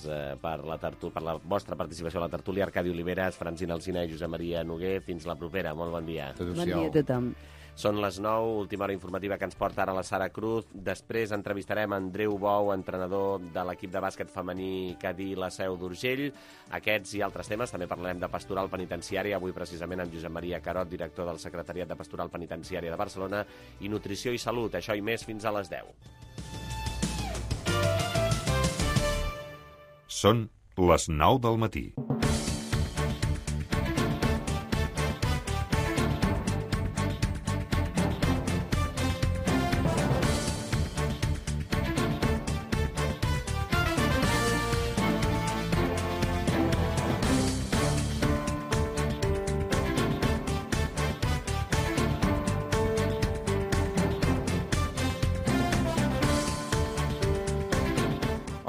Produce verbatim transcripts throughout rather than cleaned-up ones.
eh, per la, tertú per la vostra participació a la tertúlia. Arcadi Oliveres, Francina Alsina i Josep Maria Noguer. Fins la propera. Molt bon dia. Bon dia a tothom. Són les nou, última hora informativa que ens porta ara la Sara Cruz. Després entrevistarem Andreu Bou, entrenador de l'equip de bàsquet femení Cadí La Seu d'Urgell. Aquests i altres temes. També parlarem de pastoral penitenciària, avui precisament amb Josep Maria Carot, director del Secretariat de Pastoral Penitenciària de Barcelona, i nutrició i salut. Això i més fins a les deu. Són les nou del matí.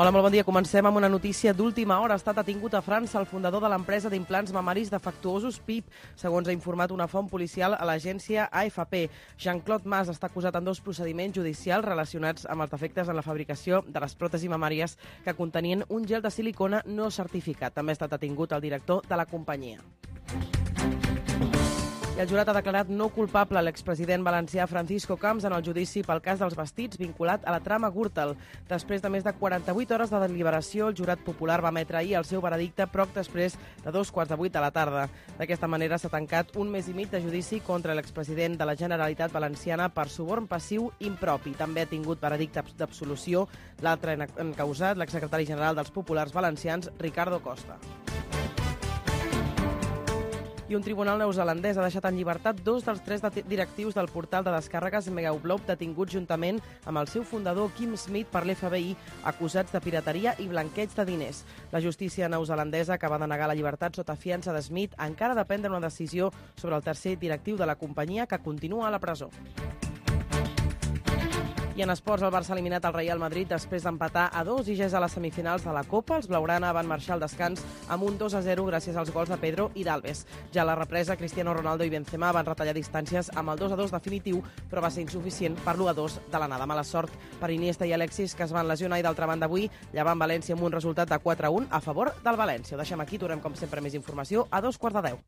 Hola, molt bon dia. Comencem amb una notícia d'última hora. Ha estat detingut a França el fundador de l'empresa d'implants mamaris defectuosos P I P, segons ha informat una font policial a l'agència A F P. Jean-Claude Mas està acusat en dos procediments judicials relacionats amb els defectes en la fabricació de les pròtesis mamàries que contenien un gel de silicona no certificat. També ha estat detingut el director de la companyia. I el jurat ha declarat no culpable a l'expresident valencià Francisco Camps en el judici pel cas dels vestits vinculat a la trama Gürtel. Després de més de quaranta-vuit hores de deliberació, el jurat popular va emetre ahir el seu veredicte poc després de dos quarts de vuit de la tarda. D'aquesta manera s'ha tancat un mes i mig de judici contra l'expresident de la Generalitat Valenciana per suborn passiu impropi. També ha tingut veredicte d'absolució l'altre encausat, l'exsecretari general dels Populars Valencians, Ricardo Costa. I un tribunal neozelandès ha deixat en llibertat dos dels tres directius del portal de descàrregues Megaupload detinguts juntament amb el seu fundador Kim Smith per l'F B I, acusats de pirateria i blanqueig de diners. La justícia neozelandesa acaba de negar la llibertat sota fiança de Smith, encara de prendre una decisió sobre el tercer directiu de la companyia, que continua a la presó. I en esports, el Barça ha eliminat el Real Madrid després d'empatar a dos i ja és a les semifinals de la Copa. Els blaugrana van marxar al descans amb un dos a zero gràcies als gols de Pedro i d'Alves. Ja a la represa, Cristiano Ronaldo i Benzema van retallar distàncies amb el dos a dos definitiu, però va ser insuficient per l'u a dos de l'anada. Mala sort per Iniesta i Alexis, que es van lesionar, i d'altra banda avui llevant València amb un resultat de quatre a un a favor del València. Ho deixem aquí, tornem com sempre més informació a dos quarts de deu.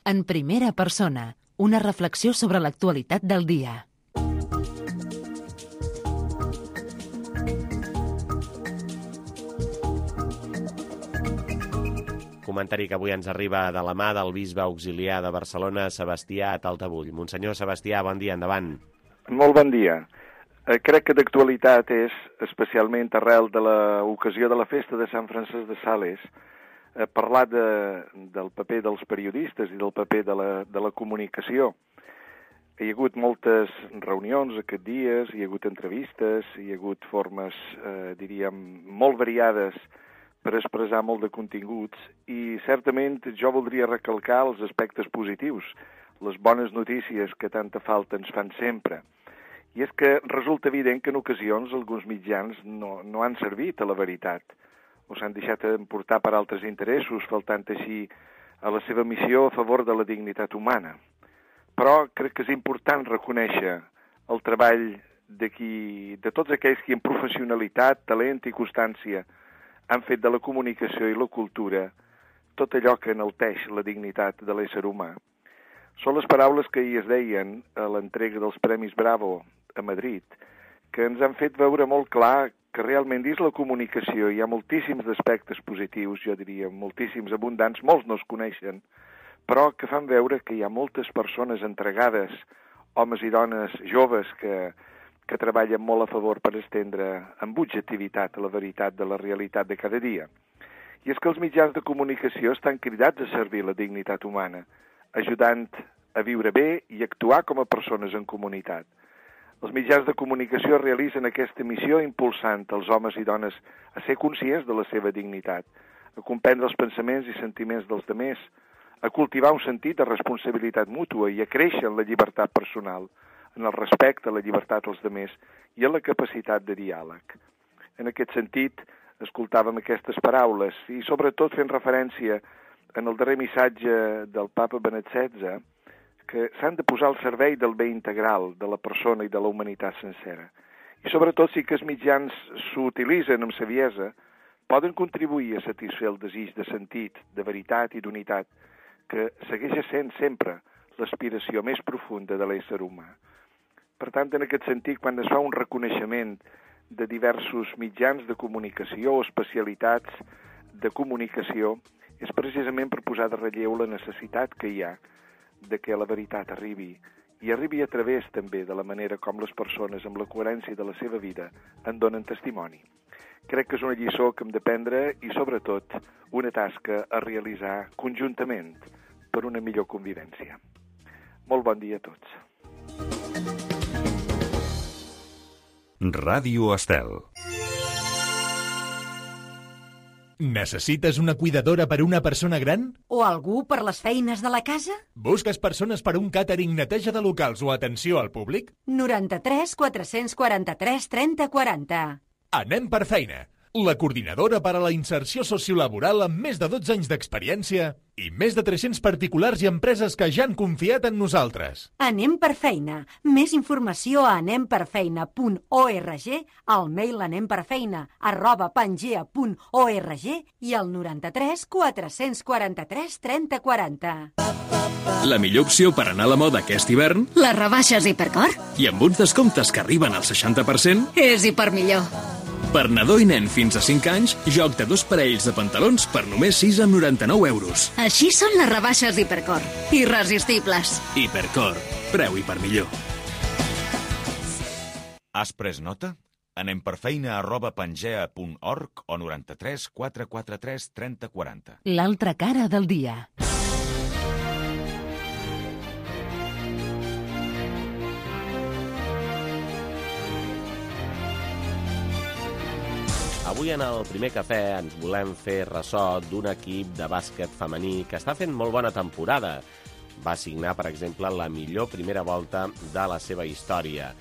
En primera persona, una reflexió sobre l'actualitat del dia. Comentari que avui ens arriba de la mà del bisbe auxiliar de Barcelona, Sebastià Taltabull. Monsenyor Sebastià, bon dia, endavant. Molt bon dia. Eh, crec que d'actualitat és, especialment arrel de l'ocasió de la festa de Sant Francesc de Sales, eh, parlar de, del paper dels periodistes i del paper de la, de la comunicació. Hi ha hagut moltes reunions aquests dies, hi ha hagut entrevistes, hi ha hagut formes, eh, diríem, molt variades per expressar molt de continguts, i certament jo voldria recalcar els aspectes positius, les bones notícies que tanta falta ens fan sempre. I és que resulta evident que en ocasions alguns mitjans no, no han servit a la veritat, o s'han deixat emportar per altres interessos, faltant així a la seva missió a favor de la dignitat humana. Però crec que és important reconèixer el treball de, qui, de tots aquells que amb professionalitat, talent i constància han fet de la comunicació i la cultura tot allò que enalteix la dignitat de l'ésser humà. Són les paraules que ahir es deien a l'entrega dels Premis Bravo a Madrid, que ens han fet veure molt clar que realment dins la comunicació hi ha moltíssims aspectes positius, jo diria, moltíssims abundants, molts no es coneixen, però que fan veure que hi ha moltes persones entregades, homes i dones joves que, que treballen molt a favor per estendre amb objectivitat la veritat de la realitat de cada dia. I és que els mitjans de comunicació estan cridats a servir la dignitat humana, ajudant a viure bé i actuar com a persones en comunitat. Els mitjans de comunicació realitzen aquesta missió impulsant els homes i dones a ser conscients de la seva dignitat, a comprendre els pensaments i sentiments dels demés, a cultivar un sentit de responsabilitat mútua i a créixer en la llibertat personal, en el respecte a la llibertat dels demés i en la capacitat de diàleg. En aquest sentit, escoltàvem aquestes paraules i sobretot fent referència en el darrer missatge del papa Benet setze, que s'han de posar al servei del bé integral de la persona i de la humanitat sencera. I sobretot, si que els mitjans s'utilitzen amb saviesa, poden contribuir a satisfer el desig de sentit, de veritat i d'unitat, que segueix sent sempre l'aspiració més profunda de l'ésser humà. Per tant, en aquest sentit, quan es fa un reconeixement de diversos mitjans de comunicació o especialitats de comunicació, és precisament per posar de relleu la necessitat que hi ha de que la veritat arribi, i arribi a través també de la manera com les persones, amb la coherència de la seva vida, en donen testimoni. Crec que és una lliçó que hem de prendre i, sobretot, una tasca a realitzar conjuntament per una millor convivència. Molt bon dia a tots. Ràdio Estel. Necessites una cuidadora per una persona gran? O algú per les feines de la casa? Busques persones per un càtering, neteja de locals o atenció al públic? noranta-tres quatre-cents quaranta-tres trenta quaranta. Anem per feina. La coordinadora per a la inserció sociolaboral amb més de dotze anys d'experiència i més de tres-cents particulars i empreses que ja han confiat en nosaltres. Anem per feina. Més informació a anem per feina punt org, al mail anemperfeina arroba pangea punt org i al noranta-tres quatre-cents quaranta-tres trenta quaranta. La millor opció per anar a la moda aquest hivern? Les rebaixes Hipercor. I amb uns descomptes que arriben al seixanta per cent? És hipermillor. Per nadó i nen fins a cinc anys, joc de dos parells de pantalons per només sis coma noranta-nou euros. Així són les rebaixes Hipercor. Irresistibles. Hipercor. Preu hipermillor. Has pres nota? Anem per feina arroba pangea punt org o noranta-tres quatre quaranta-tres trenta quaranta. L'altra cara del dia. Avui en el primer cafè ens volem fer ressò d'un equip de bàsquet femení que està fent molt bona temporada. Va signar, per exemple, la millor primera volta de la seva història.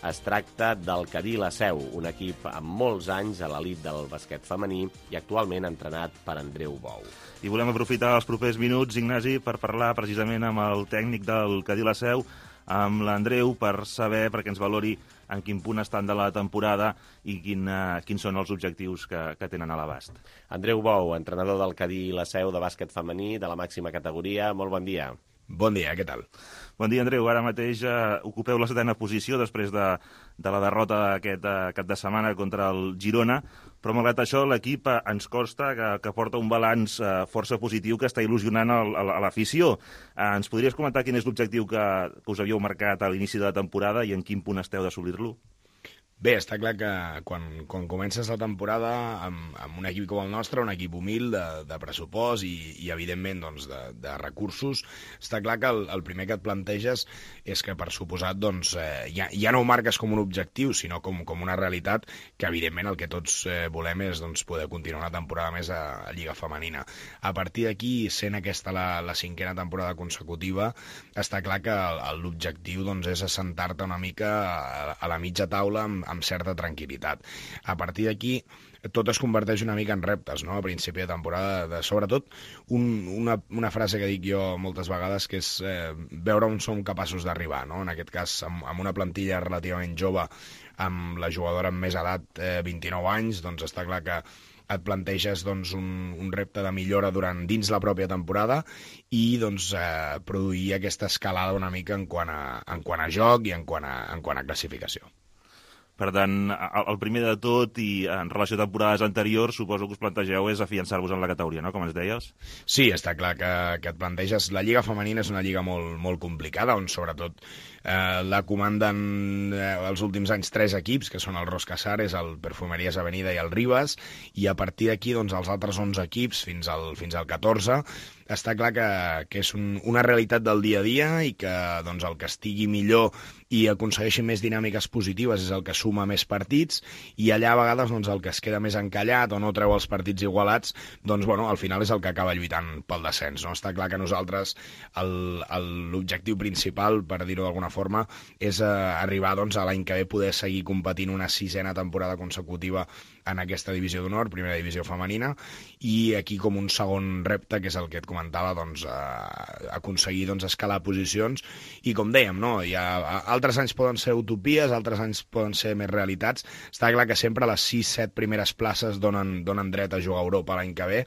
Es tracta del Cadí La Seu, un equip amb molts anys a l'elit del bàsquet femení i actualment entrenat per Andreu Bou. I volem aprofitar els propers minuts, Ignasi, per parlar precisament amb el tècnic del Cadí La Seu, amb l'Andreu, per saber, perquè ens valori en quin punt estan de la temporada i quin, uh, quins són els objectius que, que tenen a l'abast. Andreu Bou, entrenador del Cadí La Seu de bàsquet femení de la màxima categoria. Molt bon dia. Bon dia, què tal? Bon dia, Andreu. Ara mateix uh, ocupeu la setena posició després de, de la derrota d'aquest uh, cap de setmana contra el Girona, però malgrat això l'equip uh, ens consta que, que porta un balanç uh, força positiu que està il·lusionant el, el, a l'afició. Uh, ens podries comentar quin és l'objectiu que, que us havíeu marcat a l'inici de la temporada i en quin punt esteu d'assolir-lo? Bé, està clar que quan, quan comences la temporada amb, amb un equip com el nostre, un equip humil de, de pressupost i, i evidentment, doncs, de, de recursos, està clar que el, el primer que et planteges és que, per suposat, doncs, eh, ja, ja no ho marques com un objectiu, sinó com, com una realitat que, evidentment, el que tots eh, volem és doncs, poder continuar una temporada més a, a Lliga Femenina. A partir d'aquí, sent aquesta la, la cinquena temporada consecutiva, està clar que l'objectiu doncs, és assentar-te una mica a, a la mitja taula amb, amb certa tranquil·litat. A partir d'aquí, tot es converteix una mica en reptes, no?, a principi de temporada, de, sobretot un, una, una frase que dic jo moltes vegades, que és eh, veure on som capaços d'arribar, no?, en aquest cas amb, amb una plantilla relativament jove, amb la jugadora amb més edat, eh, vint-i-nou anys, doncs està clar que et planteges doncs, un, un repte de millora durant dins la pròpia temporada i doncs, eh, produir aquesta escalada una mica en quant a, en quant a joc i en quant a, en quant a classificació. Per tant, el primer de tot i en relació a temporades anteriors, suposo que us plantegeu és afiançar-vos en la categoria, no?, com ens deies? Sí, està clar que, que et planteges... La Lliga Femenina és una lliga molt, molt complicada, on sobretot eh, la comanden eh, els últims anys tres equips, que són el Ros Casares, el Perfumeries Avenida i el Ribas, i a partir d'aquí doncs, els altres onze equips, fins al, fins al catorze, està clar que, que és un, una realitat del dia a dia i que doncs, el que estigui millor i aconsegueixi més dinàmiques positives és el que suma més partits, i allà a vegades doncs, el que es queda més encallat o no treu els partits igualats, doncs bueno, al final és el que acaba lluitant pel descens, no? Està clar que nosaltres l'objectiu principal, per dir-ho d'alguna forma, és eh, arribar doncs, a l'any que ve poder seguir competint una sisena temporada consecutiva en aquesta divisió d'honor, primera divisió femenina, i aquí com un segon repte, que és el que et comentava comentava, doncs, eh, aconseguir doncs, escalar posicions, i com dèiem, no? Hi ha, altres anys poden ser utopies, altres anys poden ser més realitats. Està clar que sempre les sis set primeres places donen, donen dret a jugar a Europa l'any que ve.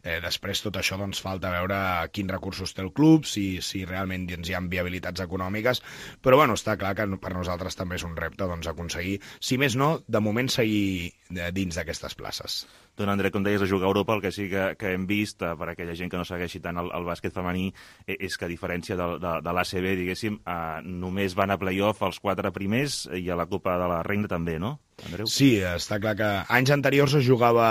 Eh, després tot això doncs, falta veure quins recursos té el club, si, si realment doncs, hi ha viabilitats econòmiques, però bueno, està clar que per nosaltres també és un repte doncs, aconseguir, si més no, de moment seguir dins d'aquestes places. Don André, com deies, a jugar a Europa, el que sí que, que hem vist, eh, per aquella gent que no segueixi tant el, el bàsquet femení, eh, és que a diferència de, de, de l'A C B, diguéssim, eh, només van a play-off els quatre primers i a la Copa de la Reina també, no? Andreu? Sí, està clar que anys anteriors es jugava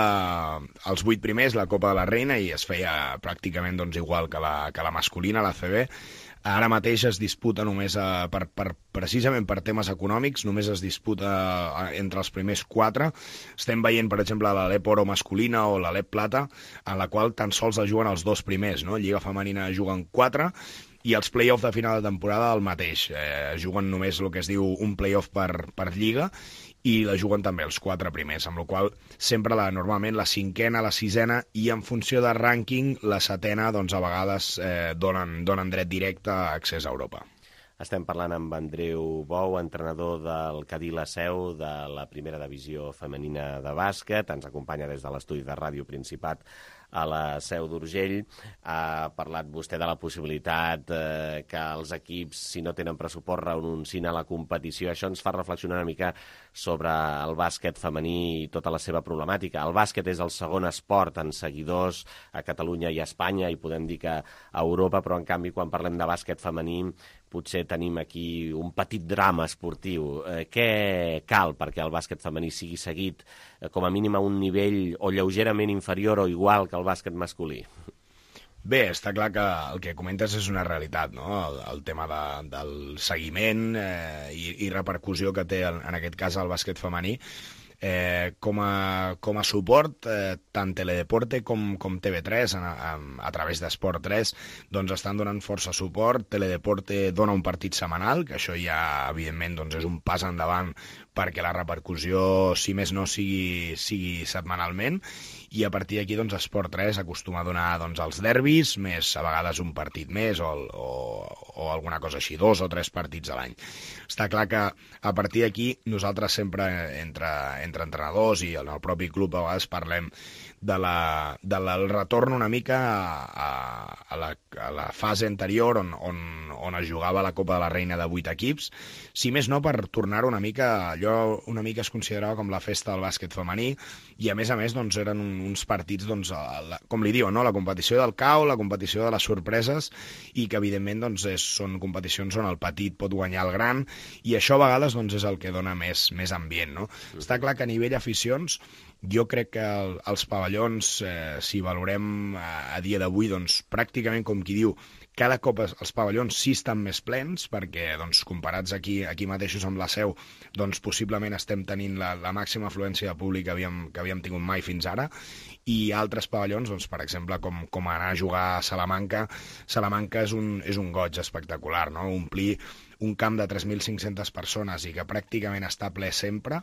els vuit primers, la Copa de la Reina, i es feia pràcticament doncs, igual que la, que la masculina, l'A C B. Ara mateix es disputa només, a, per, per, precisament per temes econòmics, només es disputa a, entre els primers quatre. Estem veient, per exemple, l'Alep Oro masculina o l'Alep Plata, en la qual tan sols es juguen els dos primers, no? Lliga femenina juguen quatre, i els play-off de final de temporada el mateix. Eh, juguen només el que es diu un play-off per, per lliga, i la juguen també els quatre primers, amb la qual sempre la, normalment la cinquena, la sisena i en funció de rànquing la setena doncs a vegades eh, donen, donen dret directe a accés a Europa. Estem parlant amb Andreu Bou, entrenador del Cadí La Seu de la primera divisió femenina de bàsquet. Ens acompanya des de l'estudi de Ràdio Principat a la Seu d'Urgell. Ha parlat vostè de la possibilitat eh, que els equips, si no tenen pressupost, renuncin a la competició. Això ens fa reflexionar una mica sobre el bàsquet femení i tota la seva problemàtica. El bàsquet és el segon esport en seguidors a Catalunya i a Espanya, i podem dir que a Europa, però en canvi quan parlem de bàsquet femení potser tenim aquí un petit drama esportiu. Eh, què cal perquè el bàsquet femení sigui seguit eh, com a mínim a un nivell o lleugerament inferior o igual que el bàsquet masculí? Bé, està clar que el que comentes és una realitat, no? El, el tema de, del seguiment eh, i, i repercussió que té, en, en aquest cas, el bàsquet femení. Eh, com, a, com a suport, eh, tant Teledeporte com, com T V tres, a, a, a través d'Esport tres, doncs estan donant força suport. Teledeporte dona un partit setmanal, que això ja, evidentment, doncs és un pas endavant perquè la repercussió, si més no, sigui, sigui setmanalment, i a partir d'aquí doncs, Esport tres acostuma a donar doncs, els derbis, més a vegades un partit més o, o, o alguna cosa així, dos o tres partits a l'any. Està clar que a partir d'aquí nosaltres sempre entre, entre entrenadors i en el propi club a vegades parlem de la, de la, del retorn una mica a, a, a, la, a la fase anterior on, on, on es jugava la Copa de la Reina de vuit equips, si més no per tornar una mica, allò una mica es considerava com la festa del bàsquet femení, i a més a més doncs, eren uns partits, doncs, la, com li diuen, no? La competició del cau, la competició de les sorpreses, i que evidentment doncs, és, són competicions on el petit pot guanyar el gran, i això a vegades doncs, és el que dona més, més ambient. No? Mm. Està clar que a nivell aficions jo crec que el, els pavellons, eh, si valorem a, a dia d'avui, doncs, pràcticament com qui diu, cada cop els pavellons sí estan més plens, perquè doncs, comparats aquí, aquí mateixos amb la Seu, doncs, possiblement estem tenint la, la màxima afluència de públic que havíem, que havíem tingut mai fins ara, i altres pavellons, doncs, per exemple, com, com anar a jugar a Salamanca. Salamanca és un, és un goig espectacular, no? Omplir un camp de tres mil cinc-centes persones i que pràcticament està ple sempre,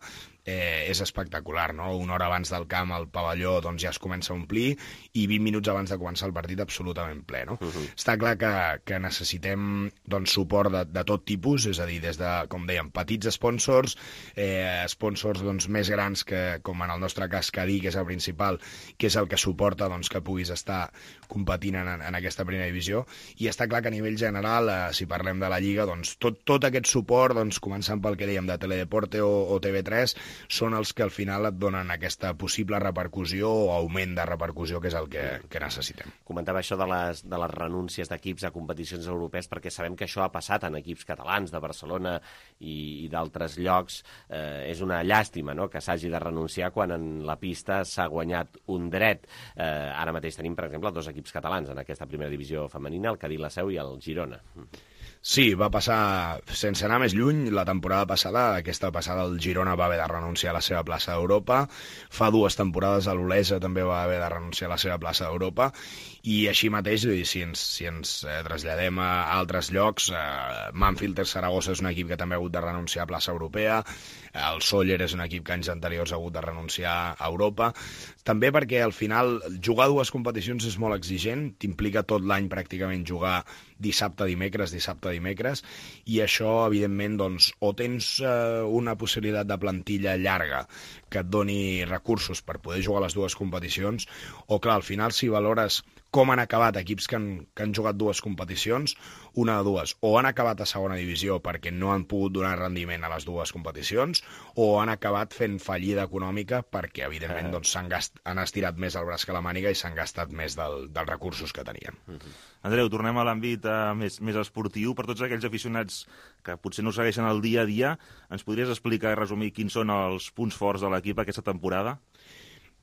eh, és espectacular, no? Una hora abans del camp el pavelló doncs, ja es comença a omplir, i vint minuts abans de començar el partit absolutament ple, no? Uh-huh. Està clar que, que necessitem doncs, suport de, de tot tipus, és a dir, des de, com dèiem, petits sponsors, eh, sponsors doncs, més grans que, com en el nostre cas, Cadí, que és el principal, que és el que suporta doncs, que puguis estar competint en, en aquesta primera divisió, i està clar que a nivell general, eh, si parlem de la Lliga, doncs, tot, tot aquest suport, doncs, començant pel que dèiem de Teledeporte o, o T V tres, són els que al final et donen aquesta possible repercussió o augment de repercussió, que és el que, que necessitem. Comentava això de les, de les renúncies d'equips a competicions europees, perquè sabem que això ha passat en equips catalans de Barcelona i, i d'altres llocs. Eh, és una llàstima, no?, que s'hagi de renunciar quan en la pista s'ha guanyat un dret. Eh, ara mateix tenim, per exemple, dos equips catalans en aquesta primera divisió femenina, el Cadí La Seu i el Girona. Sí, va passar, sense anar més lluny, la temporada passada, aquesta passada el Girona va haver de renunciar a la seva plaça d'Europa, fa dues temporades l'Olesa també va haver de renunciar a la seva plaça d'Europa, i així mateix, si ens, si ens eh, traslladem a altres llocs, eh, Manfield Saragossa és un equip que també ha hagut de renunciar a plaça europea, el Sóller és un equip que anys anteriors ha hagut de renunciar a Europa, també perquè al final jugar dues competicions és molt exigent, t'implica tot l'any pràcticament jugar dissabte, dimecres, dissabte, dimecres, i això, evidentment, doncs, o tens eh, una possibilitat de plantilla llarga que et doni recursos per poder jugar les dues competicions, o clar, al final, si valores com han acabat equips que han, que han jugat dues competicions, una de dues, o han acabat a segona divisió perquè no han pogut donar rendiment a les dues competicions, o han acabat fent fallida econòmica perquè, evidentment, doncs, s'han gast... han estirat més el braç que la màniga i s'han gastat més del, dels recursos que tenien. Mm-hmm. Andreu, tornem a l'àmbit uh, més, més esportiu. Per tots aquells aficionats que potser no segueixen el dia a dia, ens podries explicar i resumir quins són els punts forts de l'equip aquesta temporada?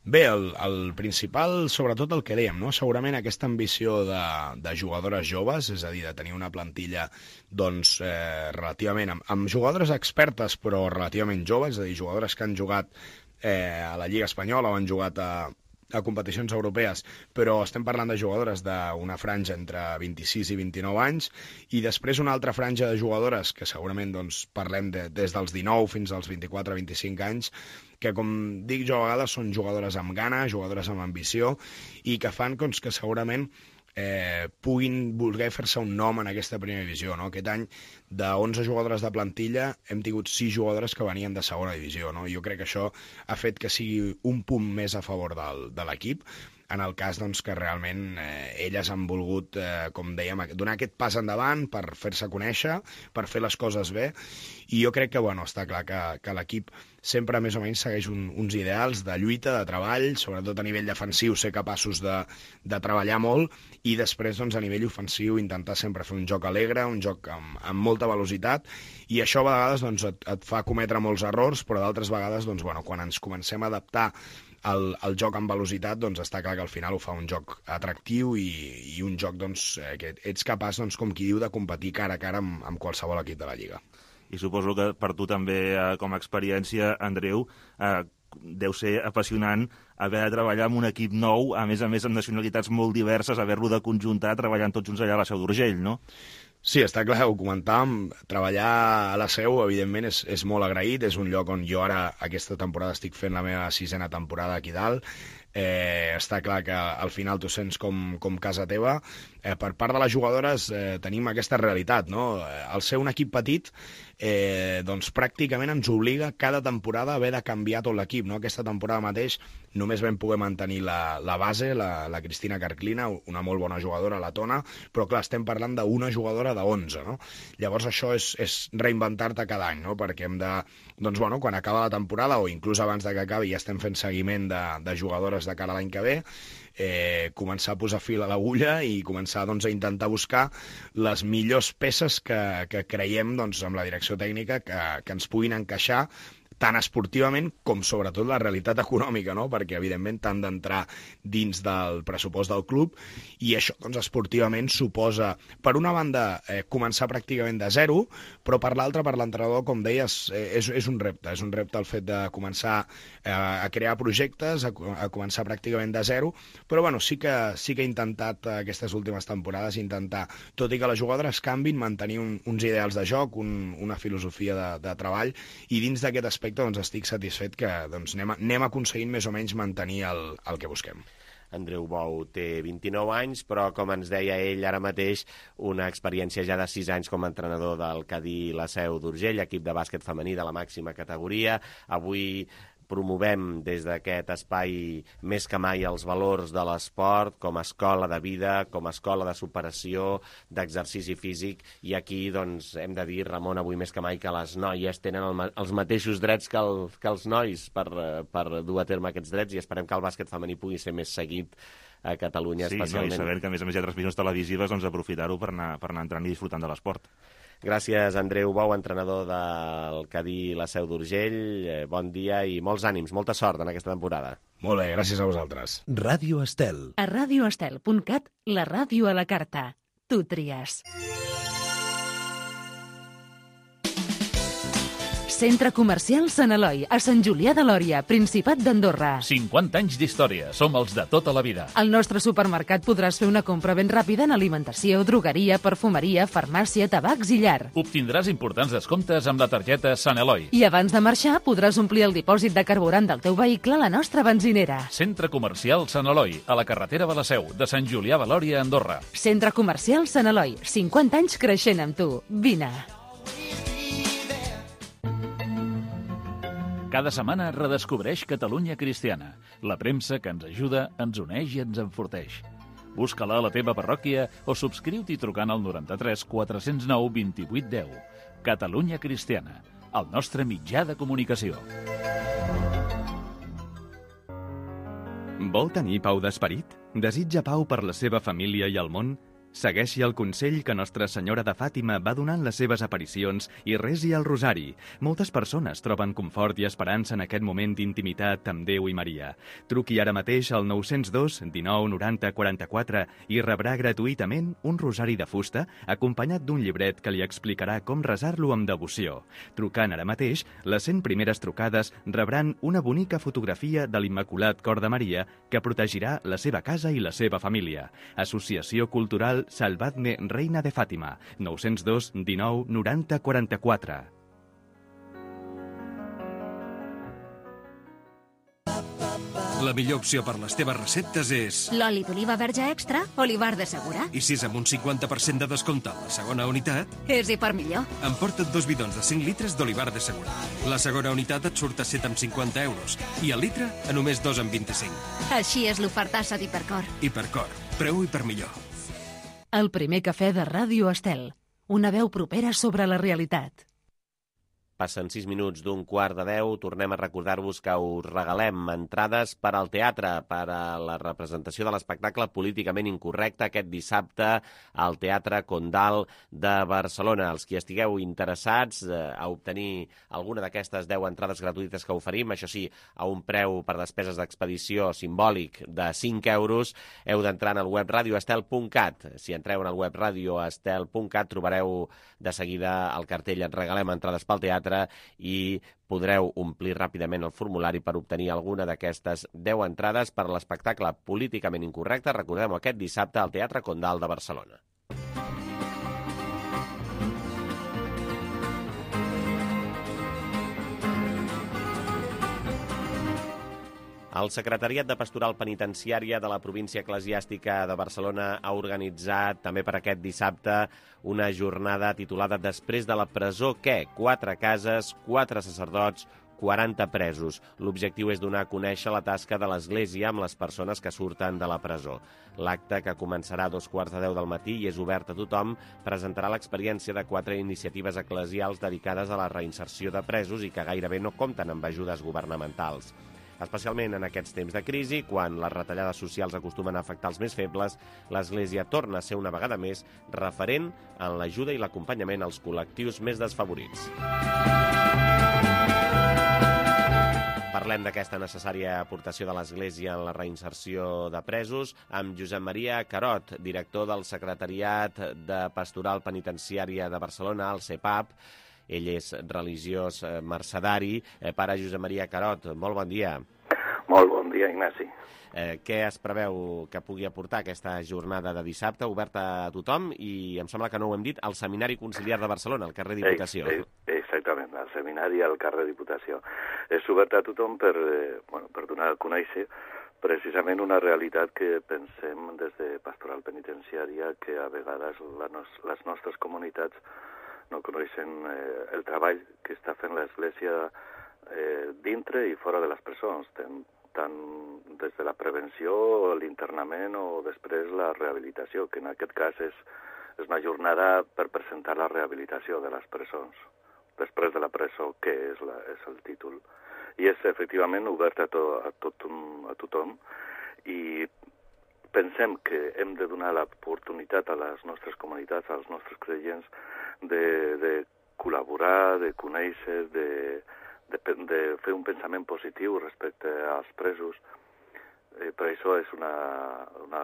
Bé, el, el principal, sobretot el que dèiem, no? Segurament aquesta ambició de, de jugadores joves, és a dir, de tenir una plantilla doncs, eh, relativament amb, amb jugadores expertes però relativament joves, és a dir, jugadores que han jugat eh, a la Lliga Espanyola o han jugat a, a competicions europees, però estem parlant de jugadores d'una franja entre vint-i-sis i vint-i-nou anys, i després una altra franja de jugadores que segurament doncs, parlem de, des dels dinou fins als vint-i-quatre vint-i-cinc anys, que, com dic jo a vegades, són jugadores amb gana, jugadores amb ambició, i que fan doncs, que segurament eh, puguin voler fer-se un nom en aquesta primera divisió. No? Aquest any, de onze jugadores de plantilla, hem tingut sis jugadores que venien de segona divisió. No? Jo crec que això ha fet que sigui un punt més a favor del, de l'equip, en el cas doncs, que realment eh, elles han volgut, eh, com dèiem, donar aquest pas endavant per fer-se conèixer, per fer les coses bé, i jo crec que bueno, està clar que, que l'equip sempre més o menys segueix un, uns ideals de lluita, de treball, sobretot a nivell defensiu ser capaços de, de treballar molt, i després doncs, a nivell ofensiu intentar sempre fer un joc alegre, un joc amb, amb molta velocitat, i això a vegades doncs, et, et fa cometre molts errors, però d'altres vegades doncs, bueno, quan ens comencem a adaptar El, el joc amb velocitat, doncs està clar que al final ho fa un joc atractiu i, i un joc doncs, eh, que ets capaç, doncs, com qui diu, de competir cara a cara amb, amb qualsevol equip de la Lliga. I suposo que per tu també, eh, com a experiència, Andreu, eh, deu ser apassionant haver de treballar amb un equip nou, a més a més amb nacionalitats molt diverses, haver-lo de conjuntar treballant tots junts allà a la Seu d'Urgell, no? Sí, està clar, ho comentàvem, treballar a la Seu, evidentment, és, és molt agraït, és un lloc on jo ara, aquesta temporada, estic fent la meva sisena temporada aquí dalt, eh, està clar que al final tu sents com, com casa teva. Eh, per part de les jugadores eh, tenim aquesta realitat, no? Al ser un equip petit, eh, doncs pràcticament ens obliga cada temporada a haver de canviar tot l'equip, no? Aquesta temporada mateix només vam poder mantenir la, la base, la, la Cristina Carclina, una molt bona jugadora, la Tona, però clar, estem parlant d'una jugadora de onze, no? Llavors això és, és reinventar-te cada any, no? Perquè hem de, doncs bueno, quan acaba la temporada o inclús abans de que acabi ja estem fent seguiment de, de jugadores de cara a l'any que ve, eh, començar a posar fil a l'agulla i començar doncs, a intentar buscar les millors peces que, que creiem doncs, amb la direcció tècnica que, que ens puguin encaixar tant esportivament com sobretot la realitat econòmica, no? Perquè evidentment t'han d'entrar dins del pressupost del club i això doncs, esportivament suposa, per una banda, eh, començar pràcticament de zero, però per l'altra, per l'entrenador, com deies, eh, és, és un repte, és un repte el fet de començar eh, a crear projectes, a, a començar pràcticament de zero, però bueno, sí que, sí que he intentat eh, aquestes últimes temporades intentar, tot i que les jugadores canvin, mantenir un, uns ideals de joc, un, una filosofia de, de treball, i dins d'aquest aspecte doncs estic satisfet que doncs, anem, anem aconseguint més o menys mantenir el, el que busquem. Andreu Bou té vint-i-nou anys, però, com ens deia ell ara mateix, una experiència ja de sis anys com a entrenador del Cadí La Seu d'Urgell, equip de bàsquet femení de la màxima categoria. Avui promovem des d'aquest espai més que mai els valors de l'esport com a escola de vida, com a escola de superació, d'exercici físic, i aquí doncs, hem de dir, Ramon, avui més que mai, que les noies tenen el, els mateixos drets que, el, que els nois per, per dur a terme aquests drets, i esperem que el bàsquet femení pugui ser més seguit a Catalunya, sí, especialment. Sí, no, i sabent que a més a més hi ha transmissions televisives, doncs aprofitar-ho per anar, per anar entrant i disfrutant de l'esport. Gràcies, Andreu Bou, entrenador del Cadí La Seu d'Urgell. Bon dia i molts ànims, molta sort en aquesta temporada. Molt bé, gràcies a vosaltres. Ràdio Estel. A radioestel punt cat, la ràdio a la carta. Tu tries. Centre Comercial Sant Eloi, a Sant Julià de Lòria, Principat d'Andorra. cinquanta anys d'història. Som els de tota la vida. Al nostre supermercat podràs fer una compra ben ràpida en alimentació, drogueria, perfumeria, farmàcia, tabacs i llar. Obtindràs importants descomptes amb la targeta Sant Eloi. I abans de marxar podràs omplir el dipòsit de carburant del teu vehicle a la nostra benzinera. Centre Comercial Sant Eloi, a la carretera de la Seu, de Sant Julià de Lòria, Andorra. Centre Comercial Sant Eloi, cinquanta anys creixent amb tu. Vine. Cada setmana redescobreix Catalunya Cristiana, la premsa que ens ajuda, ens uneix i ens enforteix. Busca-la a la teva parròquia o subscriu-t'hi trucant al noranta-tres quatre cents nou vint-i-vuit deu. Catalunya Cristiana, el nostre mitjà de comunicació. Vol tenir pau d'esperit? Desitja pau per la seva família i el món? Segueixi el consell que Nostra Senyora de Fàtima va donant les seves aparicions i resi el rosari. Moltes persones troben confort i esperança en aquest moment d'intimitat amb Déu i Maria. Truqui ara mateix al nou zero dos dinou noranta quaranta-quatre i rebrà gratuïtament un rosari de fusta acompanyat d'un llibret que li explicarà com resar-lo amb devoció. Trucant ara mateix, les cent primeres trucades rebran una bonica fotografia de l'Immaculat Cor de Maria que protegirà la seva casa i la seva família. Associació Cultural Salvadme Reina de Fàtima, nou zero dos dinou noranta quaranta-quatre. La millor opció per les teves receptes és... L'oli d'oliva verge extra, Olivar de Segura. I si és amb un cinquanta per cent de descompte a la segona unitat... És i per millor. Emporta't dos bidons de cinc litres d'Olivar de Segura. La segona unitat et surt a set amb cinquanta euros i el litre a només dos amb vint-i-cinc. Així és l'ofertassa d'Hipercor. Hipercor, preu i per millor. El primer cafè de Ràdio Estel. Una veu propera sobre la realitat. Passen sis minuts d'un quart de deu. Tornem a recordar-vos que us regalem entrades per al teatre, per a la representació de l'espectacle Políticament Incorrecte aquest dissabte al Teatre Condal de Barcelona. Els qui estigueu interessats eh, a obtenir alguna d'aquestes deu entrades gratuïtes que oferim, això sí, a un preu per despeses d'expedició simbòlic de cinc euros, heu d'entrar en el web radioestel punt cat. Si entreu en el web radioestel punt cat trobareu de seguida el cartell Et regalem entrades pel teatre i podreu omplir ràpidament el formulari per obtenir alguna d'aquestes deu entrades per a l'espectacle Políticament Incorrecte. Recordem-ho, aquest dissabte al Teatre Condal de Barcelona. El Secretariat de Pastoral Penitenciària de la Província Eclesiàstica de Barcelona ha organitzat també per aquest dissabte una jornada titulada Després de la presó, què? Quatre cases, quatre sacerdots, quaranta presos. L'objectiu és donar a conèixer la tasca de l'Església amb les persones que surten de la presó. L'acte, que començarà a dos quarts de deu del matí i és obert a tothom, presentarà l'experiència de quatre iniciatives eclesials dedicades a la reinserció de presos i que gairebé no compten amb ajudes governamentals. Especialment en aquests temps de crisi, quan les retallades socials acostumen a afectar els més febles, l'Església torna a ser una vegada més referent en l'ajuda i l'acompanyament als col·lectius més desfavorits. Parlem d'aquesta necessària aportació de l'Església en la reinserció de presos amb Josep Maria Carot, director del Secretariat de Pastoral Penitenciària de Barcelona, el CEPAP. Ell és religiós mercedari. Eh, pare Josep Maria Carot, molt bon dia. Molt bon dia, Ignasi. Eh, què es preveu que pugui aportar aquesta jornada de dissabte, oberta a tothom, i em sembla que no ho hem dit, al Seminari Conciliar de Barcelona, al carrer Diputació? Eh, eh, exactament, al Seminari al carrer Diputació. És obert a tothom per, eh, bueno, per donar a conèixer precisament una realitat que pensem des de Pastoral Penitenciària, que a vegades la nos, les nostres comunitats no coneixen eh, el treball que està fent l'Església eh, dintre i fora de les presons, tant, tant des de la prevenció, l'internament o després la rehabilitació, que en aquest cas és, és una jornada per presentar la rehabilitació de les presons. Després de la presó, què és, la, és el títol. I és efectivament obert a, to, a, tot, a tothom i pensem que hem de donar l'oportunitat a les nostres comunitats, als nostres creients, de, de col·laborar, de conèixer, de, de, de fer un pensament positiu respecte als presos. Eh, per això és una, una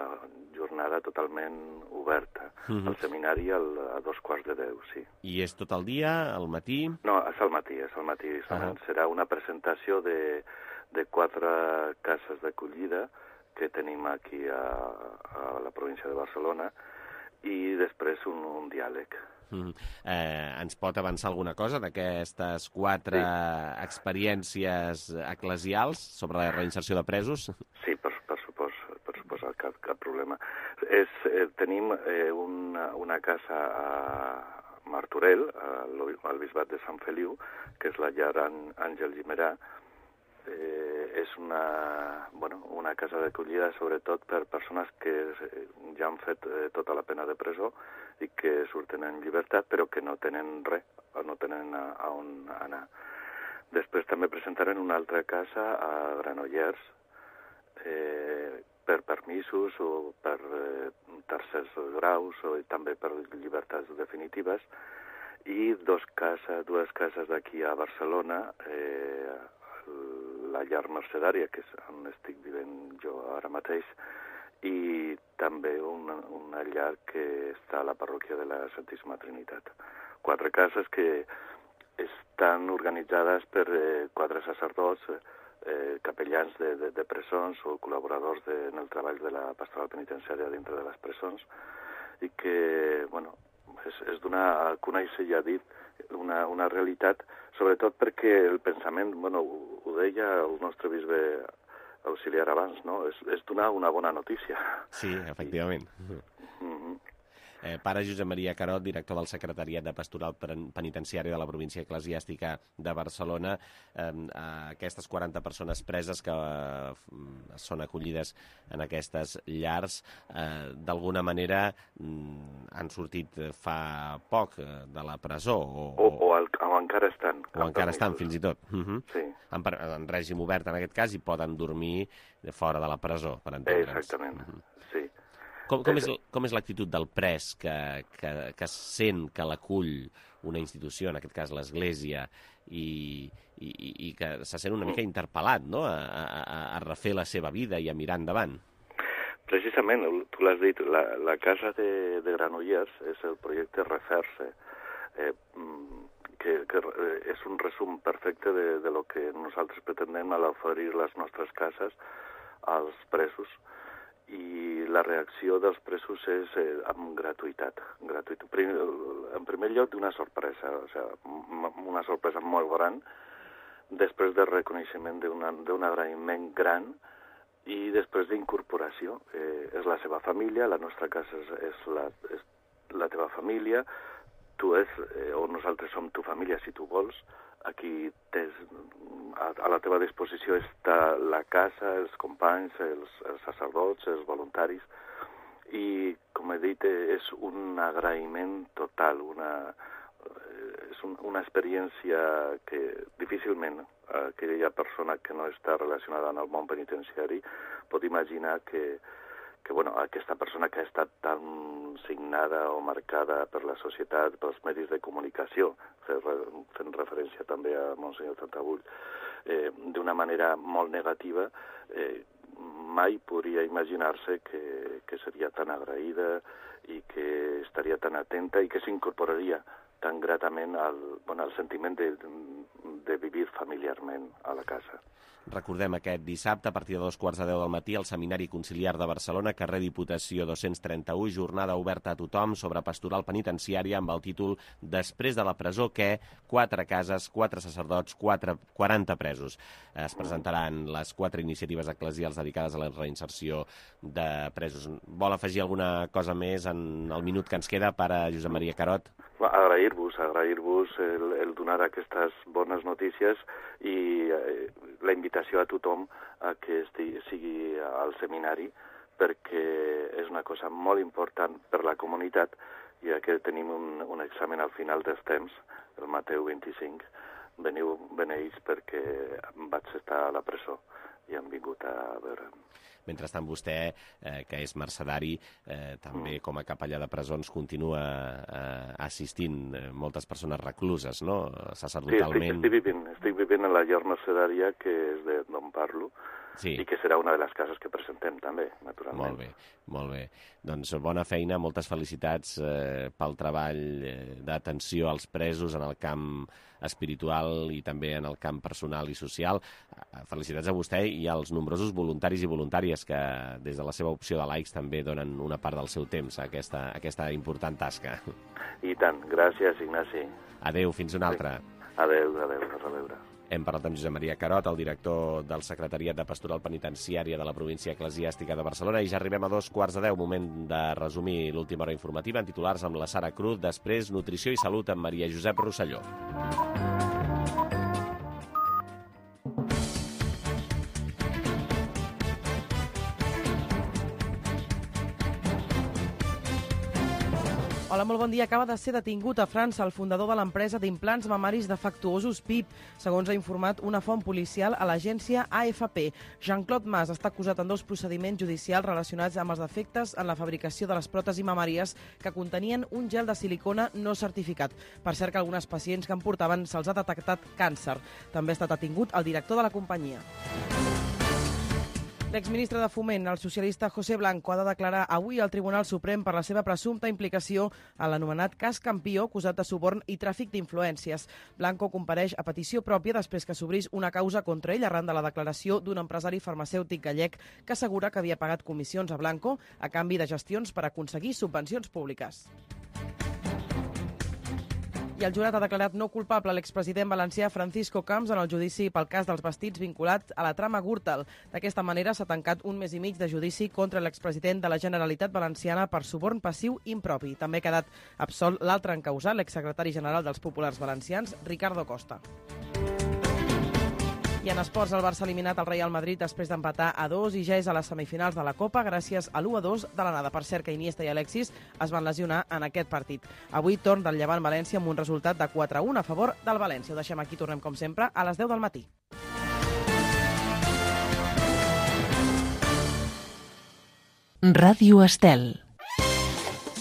jornada totalment oberta. Mhm. El seminari al, a dos quarts de deu, sí. I és tot el dia, al matí? No, és al matí, és al matí. Ah. Serà una presentació de, de quatre cases d'acollida que tenim aquí a, a la província de Barcelona i després un, un diàleg. Mm. Eh, ens pot avançar alguna cosa d'aquestes quatre sí. experiències eclesials sobre la reinserció de presos? Sí, per, per supòs, per suposar, cap, cap problema. És, eh, tenim eh, una, una casa a Martorell, al, al bisbat de Sant Feliu, que és la llar Àngel Guimerà. Eh, és una, bueno, una casa d'acollida sobretot per persones que ja han fet eh, tota la pena de presó i que surten en llibertat però que no tenen res, no tenen a, a on anar. Després també presentarem una altra casa a Granollers eh, per permisos o per eh, tercers graus o també per llibertats definitives i dos casa, dues cases d'aquí a Barcelona, eh, la llar mercedària, que és on estic vivint jo ara mateix, i també una, una llar que està a la parròquia de la Santíssima Trinitat. Quatre cases que estan organitzades per eh, quatre sacerdots, eh, capellans de, de, de presons o col·laboradors de, en el treball de la pastoral penitenciària dintre de les presons i que, bueno, és, és donar a conèixer, ja dit, una, una realitat, sobretot perquè el pensament, bueno, ho, ho deia el nostre bisbe auxiliar abans, no? És, és donar una bona notícia. Sí, efectivament. Mm-hmm. Eh, pare Josep Maria Carot, director del Secretariat de Pastoral Penitenciària de la província eclesiàstica de Barcelona, eh, aquestes quaranta persones preses que eh, són acollides en aquestes llars, eh, d'alguna manera mm, han sortit fa poc eh, de la presó. O, o, o, el, o encara estan. O encara estan, fins i tot. Uh-huh. Sí. En, en règim obert, en aquest cas, i poden dormir fora de la presó, per entendre'ns. Exactament, uh-huh. Sí. Com, com, és, com és l'actitud del pres que, que, que sent que l'acull una institució, en aquest cas l'Església, i, i, i que se sent una mica interpel·lat, no?, a, a, a refer la seva vida i a mirar endavant? Precisament, tu l'has dit, la, la casa de, de Granollers és el projecte Refer-se, eh, que, que és un resum perfecte de, de lo que nosaltres pretendem a l'oferir les nostres cases als presos. I la reacció dels presos és eh, amb gratuïtat. gratuït. En primer lloc, una sorpresa, o sigui, una sorpresa molt gran, després del reconeixement d'un agraïment gran i després d'incorporació. Eh, és la seva família, la nostra casa és, és, la, és la teva família, tu és, eh, o nosaltres som tu família si tu vols, aquí tens, a, a la teva disposició està la casa, els companys, els, els sacerdots, els voluntaris, i, com he dit, és un agraïment total, una, és un, una experiència que difícilment aquella persona que no està relacionada amb el món penitenciari pot imaginar que, que bueno, aquesta persona que ha estat tan signada o marcada per la societat, pels medis de comunicació, fent referència també a Monsenyor Tartabull, eh, d'una manera molt negativa, eh, mai podria imaginar-se que, que seria tan agraïda i que estaria tan atenta i que s'incorporaria tan gratament al, bueno, al sentiment de, de vivir familiarment a la casa. Recordem aquest dissabte, a partir de dos quarts de deu del matí, al Seminari Conciliar de Barcelona, carrer Diputació dos-cents trenta-u, jornada oberta a tothom sobre pastoral penitenciària amb el títol Després de la presó, què? Quatre cases, quatre sacerdots, quatre, quaranta presos. Es presentaran les quatre iniciatives eclesials dedicades a la reinserció de presos. Vol afegir alguna cosa més en el minut que ens queda, pare Josep Maria Carot? Agrair-vos, agrair-vos el, el donar aquestes bones notícies i eh, la invitació a tothom a que estigui, sigui al seminari perquè és una cosa molt important per la comunitat, ja que tenim un, un examen al final dels temps, el Mateu vint-i-cinc. Veniu, beneïts perquè vaig estar a la presó i han vingut a veure'm. Mentrestant, vostè, eh, que és mercedari, eh, també com a capellà de presons continua eh, assistint eh, moltes persones recluses, no? Sacerdotalment. Sí, estic, estic, vivint, estic vivint en la llar mercedària, que és de d'on parlo, sí. I que serà una de les cases que presentem també, naturalment. Molt bé, molt bé. Doncs bona feina, moltes felicitats eh, pel treball eh, d'atenció als presos en el camp espiritual i també en el camp personal i social. Felicitats a vostè i als nombrosos voluntaris i voluntàries que des de la seva opció de laics també donen una part del seu temps a aquesta, a aquesta important tasca. I tant, gràcies, Ignasi. Adéu, fins una altra. Adéu, adéu, a reveure. Hem parlat amb Josep Maria Carot, el director del Secretariat de Pastoral Penitenciària de la província eclesiàstica de Barcelona, i ja arribem a dos quarts de deu, moment de resumir l'última hora informativa en titulars amb la Sara Cruz, després Nutrició i Salut amb Maria Josep Rosselló. Hola, molt bon dia. Acaba de ser detingut a França el fundador de l'empresa d'implants mamaris defectuosos P I P, segons ha informat una font policial a l'agència A F P. Jean-Claude Mas està acusat en dos procediments judicials relacionats amb els defectes en la fabricació de les pròtesis mamàries que contenien un gel de silicona no certificat. Per cert que algunes pacients que en portaven se'ls ha detectat càncer. També ha estat detingut el director de la companyia. L'exministre de Foment, el socialista José Blanco, ha de declarar avui al Tribunal Suprem per la seva presumpta implicació a l'anomenat cas Campió, acusat de suborn i tràfic d'influències. Blanco compareix a petició pròpia després que s'obrís una causa contra ell arran de la declaració d'un empresari farmacèutic gallec que assegura que havia pagat comissions a Blanco a canvi de gestions per aconseguir subvencions públiques. I el jurat ha declarat no culpable l'expresident valencià Francisco Camps en el judici pel cas dels vestits vinculat a la trama Gürtel. D'aquesta manera s'ha tancat un mes i mig de judici contra l'expresident de la Generalitat Valenciana per suborn passiu impropi. També ha quedat absolt l'altre encausat, l'exsecretari general dels Populars Valencians, Ricardo Costa. I en esports, el Barça ha eliminat el Real Madrid després d'empatar a dos i ja és a les semifinals de la Copa gràcies a l'u a dos de l'anada. Per cert que Iniesta i Alexis es van lesionar en aquest partit. Avui torn del Llevant València amb un resultat de quatre a un a favor del València. Ho deixem aquí, tornem com sempre a les deu del matí. Ràdio Estel.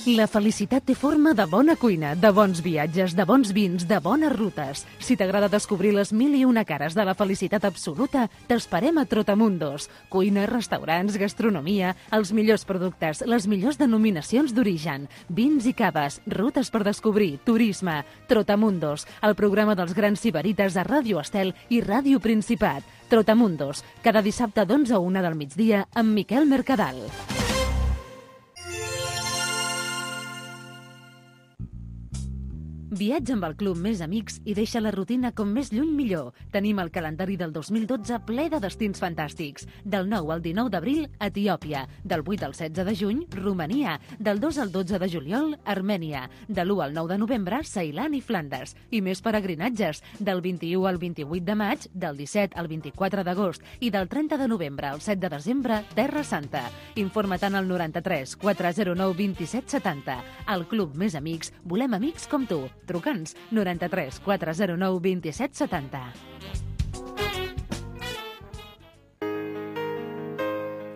La felicitat té forma de bona cuina, de bons viatges, de bons vins, de bones rutes. Si t'agrada descobrir les mil i una cares de la felicitat absoluta, t'esperem a Trotamundos. Cuina, restaurants, gastronomia, els millors productes, les millors denominacions d'origen, vins i caves, rutes per descobrir, turisme. Trotamundos, el programa dels grans sibarites a Ràdio Estel i Ràdio Principat. Trotamundos, cada dissabte d'onze a una del migdia amb Miquel Mercadal. Viatja amb el Club Més Amics i deixa la rutina com més lluny millor. Tenim el calendari del dos mil dotze ple de destins fantàstics. Del nou al dinou d'abril, Etiòpia. Del vuit al setze de juny, Romania. Del dos al dotze de juliol, Armènia. De l'u al nou de novembre, Ceilan i Flandes. I més peregrinatges. Del vint-i-u al vint-i-vuit de maig, del disset al vint-i-quatre d'agost i del trenta de novembre al set de desembre, Terra Santa. Informa-te'n al noranta-tres quatre zero nou vint-i-set setanta. Al Club Més Amics volem amics com tu. Truca'ns noranta-tres quatre zero nou vint-i-set setanta.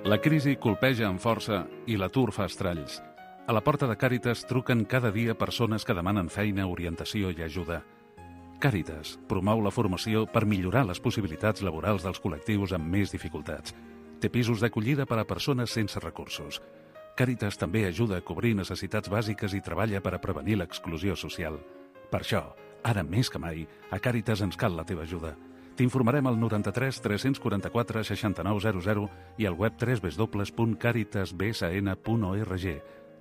La crisi colpeja amb força i l'atur fa estralls. A la porta de Càritas truquen cada dia persones que demanen feina, orientació i ajuda. Càritas promou la formació per millorar les possibilitats laborals dels col·lectius amb més dificultats. Té pisos d'acollida per a persones sense recursos. Càritas també ajuda a cobrir necessitats bàsiques i treballa per a prevenir l'exclusió social. Per això, ara més que mai, a Càritas ens cal la teva ajuda. T'informarem al noranta-tres tres quaranta-quatre seixanta-nou zero zero i al web w w w punt caritas b s n punt org.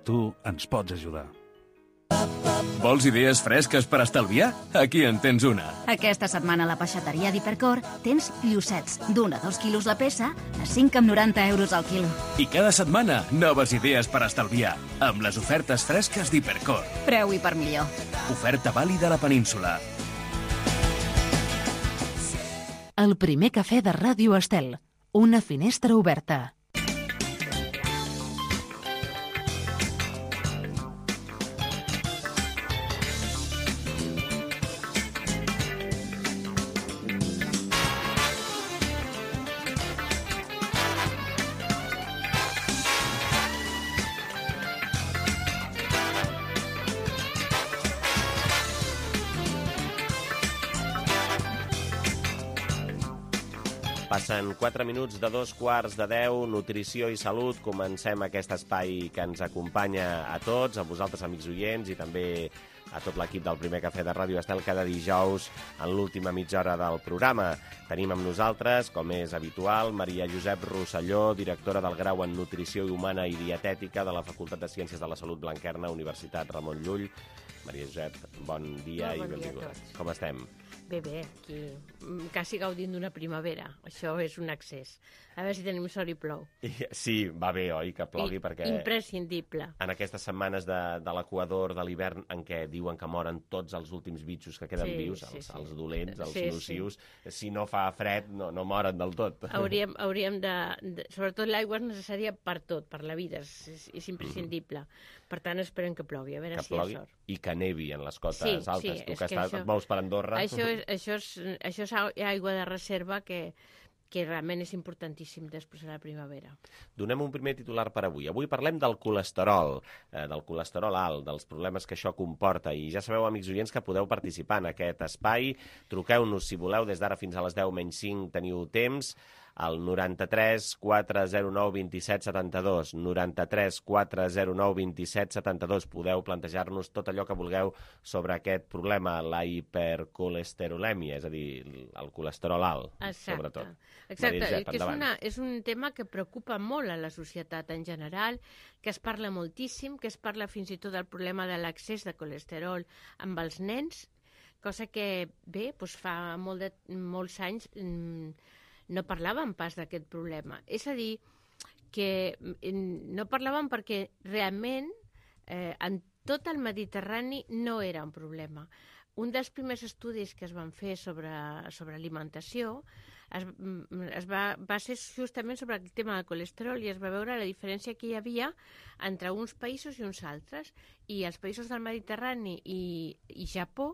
Tu ens pots ajudar. Vols idees fresques per estalviar? Aquí en tens una. Aquesta setmana a la peixateria d'Hipercor tens llucets d'un a dos quilos la peça a cinc coma noranta euros al quilo. I cada setmana, noves idees per estalviar, amb les ofertes fresques d'Hipercor. Preu i per millor. Oferta vàlida a la península. El primer cafè de Ràdio Estel. Una finestra oberta. Passen quatre minuts de dos quarts de deu, nutrició i salut. Comencem aquest espai que ens acompanya a tots, a vosaltres, amics oients, i també a tot l'equip del Primer Cafè de Ràdio Estel cada dijous en l'última mitja hora del programa. Tenim amb nosaltres, com és habitual, Maria Josep Rosselló, directora del Grau en Nutrició Humana i Dietètica de la Facultat de Ciències de la Salut Blanquerna, Universitat Ramon Llull. Maria Josep, bon dia i benvinguda. Com estem? Bé, bé, aquí quasi gaudint d'una primavera. Això és un excés. A veure si tenim sort i plou. Sí, va bé, oi, que plogui, I, perquè... Imprescindible. En aquestes setmanes de, de l'equador, de l'hivern, en què diuen que moren tots els últims bitxos que queden sí, vius, sí, els, sí. els dolents, els sí, nocius, sí. Si no fa fred, no, no moren del tot. Hauríem, hauríem de, de... Sobretot l'aigua és necessària per tot, per la vida, és, és, és imprescindible. Mm. Per tant, esperem que plogui, a veure que si plogui, hi ha sort. I que nevi en les cotes sí, altes. Sí, tu que, que estàs, això, et mous per Andorra... Això és, això és, això és aigua de reserva que, que realment és importantíssim després de la primavera. Donem un primer titular per avui. Avui parlem del colesterol, eh, del colesterol alt, dels problemes que això comporta. I ja sabeu, amics oients, que podeu participar en aquest espai. Truqueu-nos, si voleu, des d'ara fins a les deu menys cinc teniu temps, al noranta-tres quatre zero nou vint set setanta-dos, noranta-tres quatre zero nou vint set setanta-dos. Podeu plantejar-nos tot allò que vulgueu sobre aquest problema, la hipercolesterolèmia, és a dir, el colesterol alt, Exacte. sobretot. Exacte, Josep, que és, una, és un tema que preocupa molt a la societat en general, que es parla moltíssim, que es parla fins i tot del problema de l'accés de colesterol amb els nens, cosa que, bé, doncs fa molt de, molts anys mmm, no parlàvem pas d'aquest problema. És a dir, que no parlàvem perquè realment eh, en tot el Mediterrani no era un problema. Un dels primers estudis que es van fer sobre, sobre alimentació es, es va, va ser justament sobre el tema del colesterol i es va veure la diferència que hi havia entre uns països i uns altres. I els països del Mediterrani i, i Japó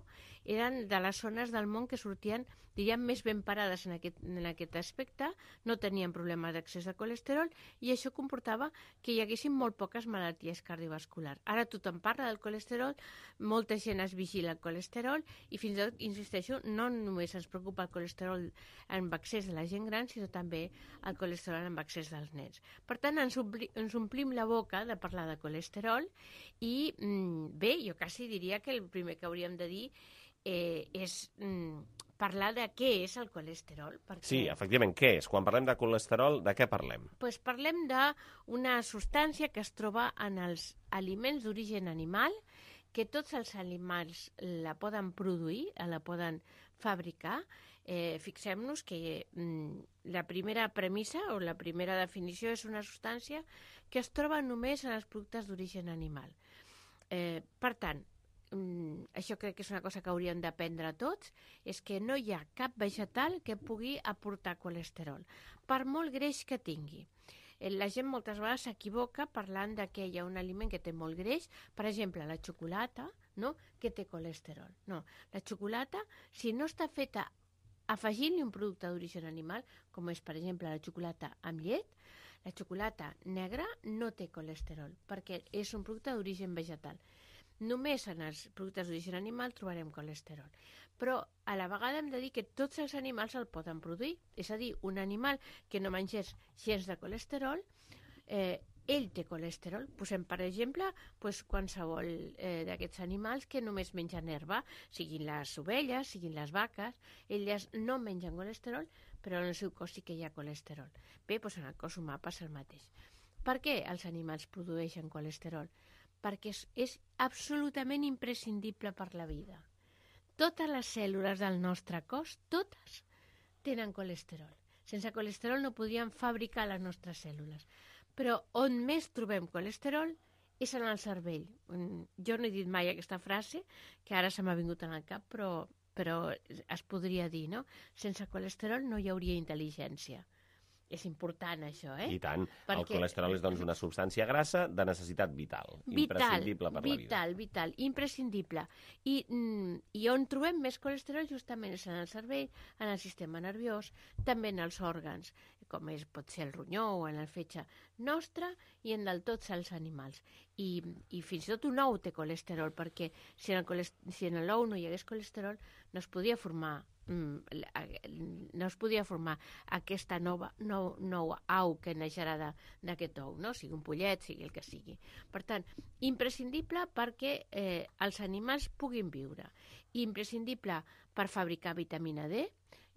eren de les zones del món que sortien, diríem, més ben parades en aquest, en aquest aspecte, no tenien problemes d'accés de colesterol i això comportava que hi haguessin molt poques malalties cardiovasculars. Ara tothom parla del colesterol, molta gent es vigila el colesterol i fins i tot, insisteixo, no només ens preocupa el colesterol amb accés de la gent gran, sinó també el colesterol amb accés dels nens. Per tant, ens, ompli, ens omplim la boca de parlar de colesterol i, mm, bé, jo quasi diria que el primer que hauríem de dir eh, és mm, parlar de què és el colesterol. Perquè... Sí, efectivament, què és? Quan parlem de colesterol, de què parlem? Pues parlem d'una substància que es troba en els aliments d'origen animal, que tots els animals la poden produir, la poden fabricar. Eh, Fixem-nos que mm, la primera premissa o la primera definició és una substància que es troba només en els productes d'origen animal. Eh, per tant, Mm, això crec que és una cosa que hauríem d'aprendre tots, és que no hi ha cap vegetal que pugui aportar colesterol, per molt greix que tingui. La gent moltes vegades s'equivoca parlant de que hi ha un aliment que té molt greix, per exemple, la xocolata, no?, que té colesterol. No, la xocolata, si no està feta afegint-li un producte d'origen animal, com és, per exemple, la xocolata amb llet, la xocolata negra no té colesterol, perquè és un producte d'origen vegetal. Només en els productes d'origen animal trobarem colesterol. Però a la vegada hem de dir que tots els animals el poden produir. És a dir, un animal que no mengés gens de colesterol, eh, ell té colesterol. Posem, per exemple, pues, qualsevol eh, d'aquests animals que només mengen herba, siguin les ovelles, siguin les vaques, elles no mengen colesterol, però en el seu cos sí que hi ha colesterol. Bé, pues en el cos humà passa el mateix. Per què els animals produeixen colesterol? Perquè és, és absolutament imprescindible per la vida. Totes les cèl·lules del nostre cos, totes, tenen colesterol. Sense colesterol no podríem fabricar les nostres cèl·lules. Però on més trobem colesterol és en el cervell. Jo no he dit mai aquesta frase, que ara se m'ha vingut en el cap, però, però es podria dir, no? Sense colesterol no hi hauria intel·ligència. És important, això, eh? I tant. Perquè... El colesterol és, doncs, una substància grassa de necessitat vital. Vital, imprescindible per vital, la vida. vital, imprescindible. I, mm, I on trobem més colesterol justament és en el cervell, en el sistema nerviós, també en els òrgans, com és, pot ser el ronyó o en el fetge nostre i en el tots els animals. I, i fins i tot un ou té colesterol, perquè si en, el colest... si en l'ou no hi hagués colesterol no es podria formar no es podia formar aquesta nova nou, nou au que neixerà d'aquest ou, no? Sigui un pollet, sigui el que sigui. Per tant, imprescindible perquè eh, els animals puguin viure, imprescindible per fabricar vitamina D,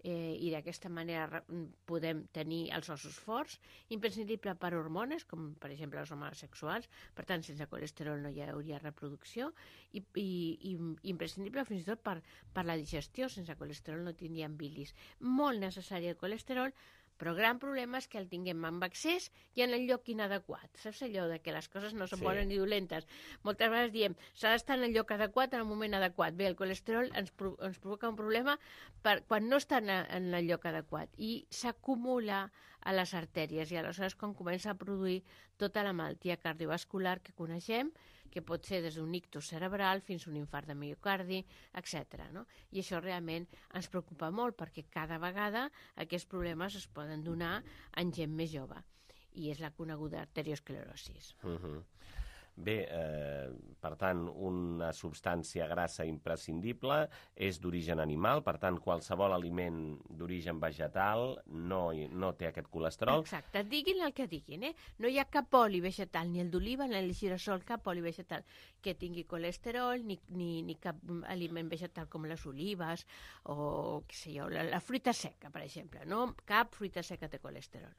eh, i d'aquesta manera podem tenir els ossos forts, imprescindible per hormones, com per exemple les hormones sexuals, per tant, sense colesterol no hi hauria reproducció, i, i, i imprescindible fins i tot per, per la digestió, sense colesterol no tindríem bilis. Molt necessari el colesterol, però el gran problema és que el tinguem amb excés i en el lloc inadequat. Saps allò de que les coses no són sí. bones ni dolentes? Moltes vegades diem, s'ha d'estar en el lloc adequat en el moment adequat. Bé, el colesterol ens, pro ens provoca un problema per, quan no està en, en el lloc adequat i s'acumula a les artèries i aleshores quan comença a produir tota la malaltia cardiovascular que coneixem, que pot ser des d'un ictus cerebral fins a un infart de miocardi, etcètera. No? I això realment ens preocupa molt perquè cada vegada aquests problemes es poden donar en gent més jove i és la coneguda arteriosclerosis. Uh-huh. Bé, eh, per tant, una substància grassa imprescindible és d'origen animal, per tant, qualsevol aliment d'origen vegetal no, no té aquest colesterol. Exacte, diguin el que diguin, eh? No hi ha cap oli vegetal, ni el d'oliva ni el de girassol, cap oli vegetal que tingui colesterol, ni, ni, ni cap aliment vegetal com les olives o, què sé jo, la, la fruita seca, per exemple, no? Cap fruita seca té colesterol.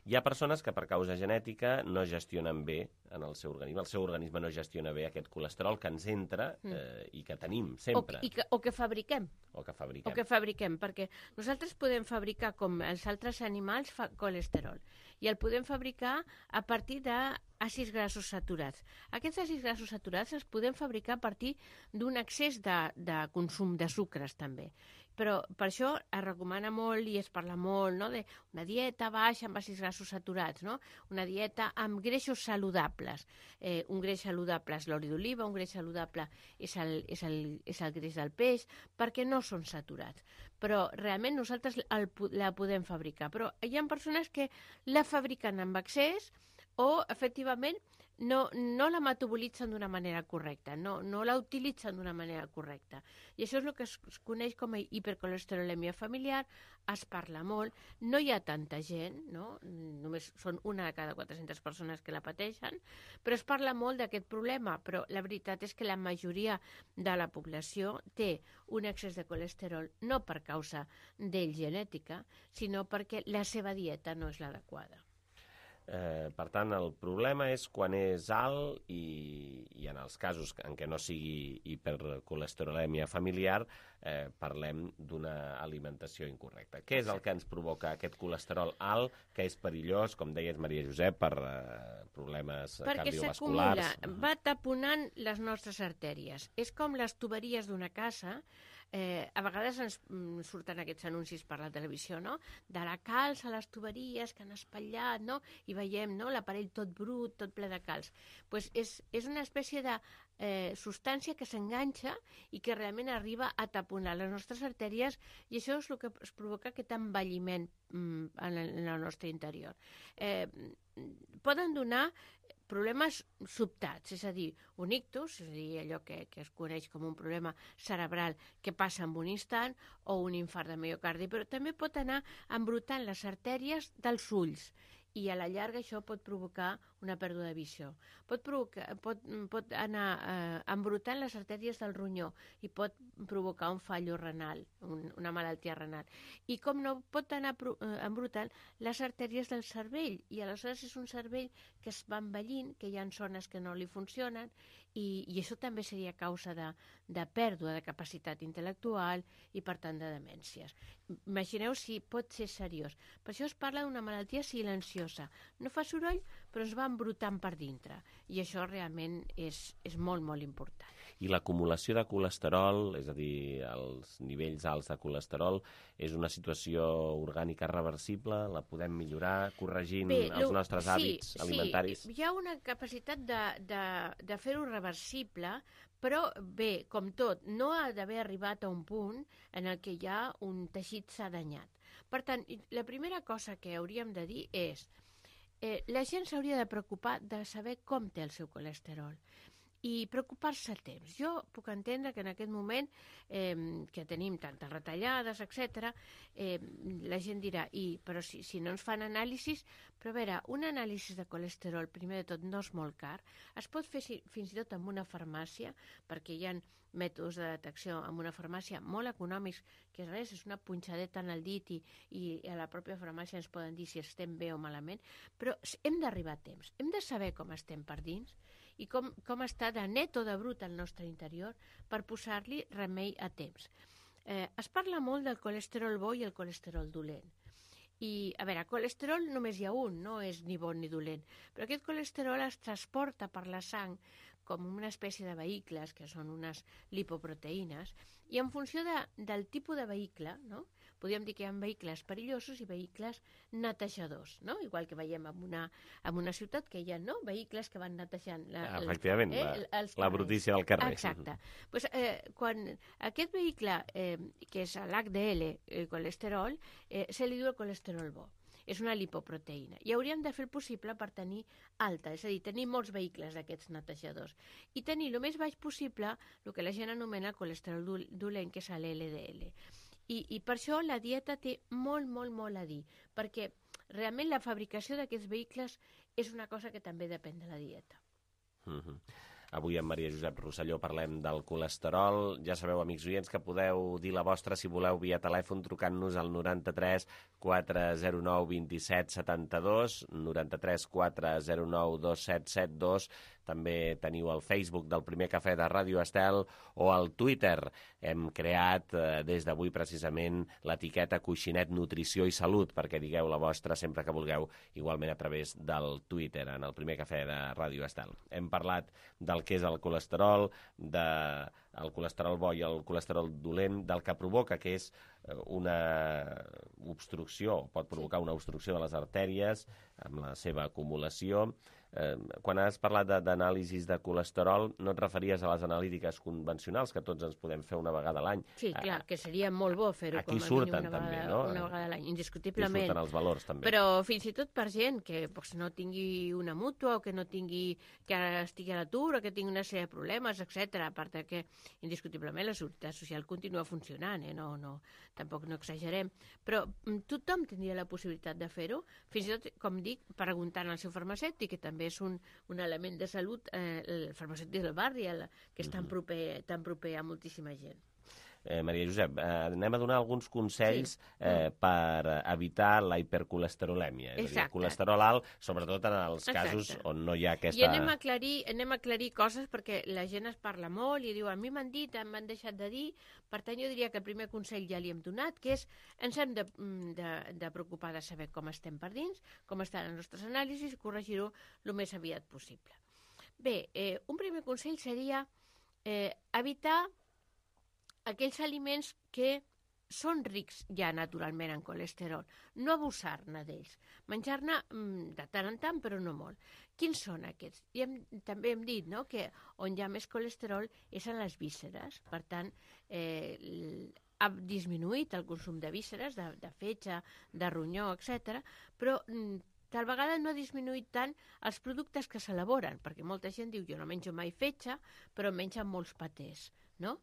Hi ha persones que per causa genètica no gestionen bé en el seu organisme, el seu organisme no gestiona bé aquest colesterol que ens entra eh, i que tenim sempre. O, i que, o que fabriquem. O que fabriquem. O que fabriquem, perquè nosaltres podem fabricar, com els altres animals, fa colesterol. I el podem fabricar a partir d'àcids grassos saturats. Aquests àcids grassos saturats els podem fabricar a partir d'un excés de, de consum de sucres, també. Però per això es recomana molt i es parla molt, no?, d'una dieta baixa amb àcids grassos saturats, no? Una dieta amb greixos saludables. Eh, un greix saludable és l'oli d'oliva, un greix saludable és el, és, el, és el greix del peix, perquè no són saturats. Però realment nosaltres el, la podem fabricar. Però hi ha persones que la fabriquen amb excés o, efectivament, no, no la metabolitzen d'una manera correcta, no, no la utilitzen d'una manera correcta. I això és el que es, es coneix com a hipercolesterolèmia familiar, es parla molt, no hi ha tanta gent, no? Només són una de cada quatre-centes persones que la pateixen, però es parla molt d'aquest problema, però la veritat és que la majoria de la població té un excés de colesterol no per causa d'ell genètica, sinó perquè la seva dieta no és l'adequada. Eh, per tant, el problema és quan és alt i, i en els casos en què no sigui hipercolesterolèmia familiar, eh, parlem d'una alimentació incorrecta. Què és el que ens provoca aquest colesterol alt, que és perillós, com deies, Maria Josep, per eh, problemes Perquè cardiovasculars? Perquè s'acumula, va taponant les nostres artèries. És com les tuberies d'una casa. Eh, a vegades ens mm, surten aquests anuncis per la televisió, no?, de la calç a les tuberies que han espatllat, no?, i veiem, no?, l'aparell tot brut, tot ple de calç. Pues és, és una espècie de eh, substància que s'enganxa i que realment arriba a taponar les nostres artèries i això és el que es provoca aquest envelliment mm, en, el, en el nostre interior. Eh, poden donar problemes sobtats, és a dir, un ictus, és a dir, allò que, que es coneix com un problema cerebral que passa en un instant, o un infart de miocardi, però també pot anar embrutant les artèries dels ulls, i a la llarga això pot provocar una pèrdua de visió. Pot, provocar, pot, pot anar eh, embrutant les artèries del ronyó i pot provocar un fallo renal, un, una malaltia renal. I com no, pot anar pro, eh, embrutant les artèries del cervell, i aleshores és un cervell que es va envellint, que hi ha zones que no li funcionen, i, i això també seria causa de, de pèrdua de capacitat intel·lectual i, per tant, de demències. Imagineu si pot ser seriós. Per això es parla d'una malaltia silenciosa. No fa soroll, però es va embrutant per dintre. I això realment és, és molt, molt important. I l'acumulació de colesterol, és a dir, els nivells alts de colesterol, és una situació orgànica reversible? La podem millorar corregint Bé, els nostres sí, hàbits alimentaris? Sí, hi ha una capacitat de, de, de fer-ho reversible, però bé, com tot, no ha d'haver arribat a un punt en el que hi ha un teixit s'ha danyat. Per tant, la primera cosa que hauríem de dir és eh, la gent s'hauria de preocupar de saber com té el seu colesterol. i preocupar-se a temps. Jo puc entendre que en aquest moment eh, que tenim tantes retallades, etcètera, eh, la gent dirà, I, però si, si no ens fan anàlisis, però a veure, un anàlisi de colesterol, primer de tot, no és molt car, es pot fer si, fins i tot en una farmàcia, perquè hi ha mètodes de detecció en una farmàcia molt econòmics, que res, és una punxadeta en el dit i, i a la pròpia farmàcia ens poden dir si estem bé o malament, però hem d'arribar a temps, hem de saber com estem per dins i com, com està de net o de brut el nostre interior per posar-li remei a temps. Eh, es parla molt del colesterol bo i el colesterol dolent. I, a veure, colesterol només hi ha un, no és ni bon ni dolent, però aquest colesterol es transporta per la sang com una espècie de vehicles, que són unes lipoproteïnes, i en funció de, del tipus de vehicle, no? Podríem dir que hi ha vehicles perillosos i vehicles netejadors, no? Igual que veiem en una, en una ciutat que hi ha, no?, vehicles que van netejant la, ah, efectivament, eh, la, els la brutícia del carrer. Exacte. Pues, eh, quan aquest vehicle, eh, que és l'H D L, el colesterol, eh, se li diu el colesterol bo. És una lipoproteïna. I hauríem de fer el possible per tenir alta, és a dir, tenir molts vehicles d'aquests netejadors. I tenir el més baix possible el que la gent anomena el colesterol dolent, que és l'L D L. I, I per això la dieta té molt, molt, molt a dir, perquè realment la fabricació d'aquests vehicles és una cosa que també depèn de la dieta. Mm-hmm. Avui amb Maria Josep Rosselló parlem del colesterol. Ja sabeu, amics oients, que podeu dir la vostra si voleu via telèfon trucant-nos al noranta-tres quatre zero nou vint set setanta dos, noranta-tres quatre zero nou dos set set dos. També teniu el Facebook del Primer Cafè de Ràdio Estel o el Twitter. Hem creat eh, des d'avui precisament l'etiqueta Coixinet Nutrició i Salut perquè digueu la vostra sempre que vulgueu, igualment a través del Twitter, en el Primer Cafè de Ràdio Estel. Hem parlat del que és el colesterol, del de colesterol bo i el colesterol dolent, del que provoca, que és una obstrucció, pot provocar una obstrucció de les artèries amb la seva acumulació. Eh, quan has parlat d'anàlisis de, de colesterol, no et referies a les analítiques convencionals, que tots ens podem fer una vegada a l'any. Sí, clar, que seria molt bo fer-ho com a mínim una vegada, també, no? una vegada a l'any, indiscutiblement. Aquí surten els valors, també. Però fins i tot per gent que pues, no tingui una mútua o que no tingui, que ara estigui a l'atur o que tingui una sèrie de problemes, etcètera. A part que indiscutiblement la seguretat social continua funcionant, eh? no, no, tampoc no exagerem. Però tothom tindria la possibilitat de fer-ho, fins i tot, com dic, preguntant al seu farmacèutic, que també és un, un element de salut, eh, el farmacèutic del barri, el, que és tan proper, tan proper a moltíssima gent. Eh, Maria Josep, eh, anem a donar alguns consells sí. eh, per evitar la hipercolesterolèmia. És a dir, colesterol alt, sobretot en els Exacte. casos on no hi ha aquesta... I anem a, aclarir, anem a aclarir coses perquè la gent es parla molt i diu, a mi m'han dit, m'han deixat de dir, per tant jo diria que el primer consell ja li hem donat, que és ens hem de, de, de preocupar de saber com estem per dins, com estan les nostres anàlisis i corregir-ho el més aviat possible. Bé, eh, un primer consell seria eh, evitar aquells aliments que són rics ja naturalment en colesterol, no abusar-ne d'ells, menjar-ne de tant en tant però no molt. Quins són aquests? I hem, també hem dit no, que on hi ha més colesterol és en les vísceres, per tant eh, ha disminuït el consum de vísceres, de, de fetge, de ronyó, etcètera, però tal vegada no ha disminuït tant els productes que s'elaboren, perquè molta gent diu jo no menjo mai fetge, però mengen molts patés, no?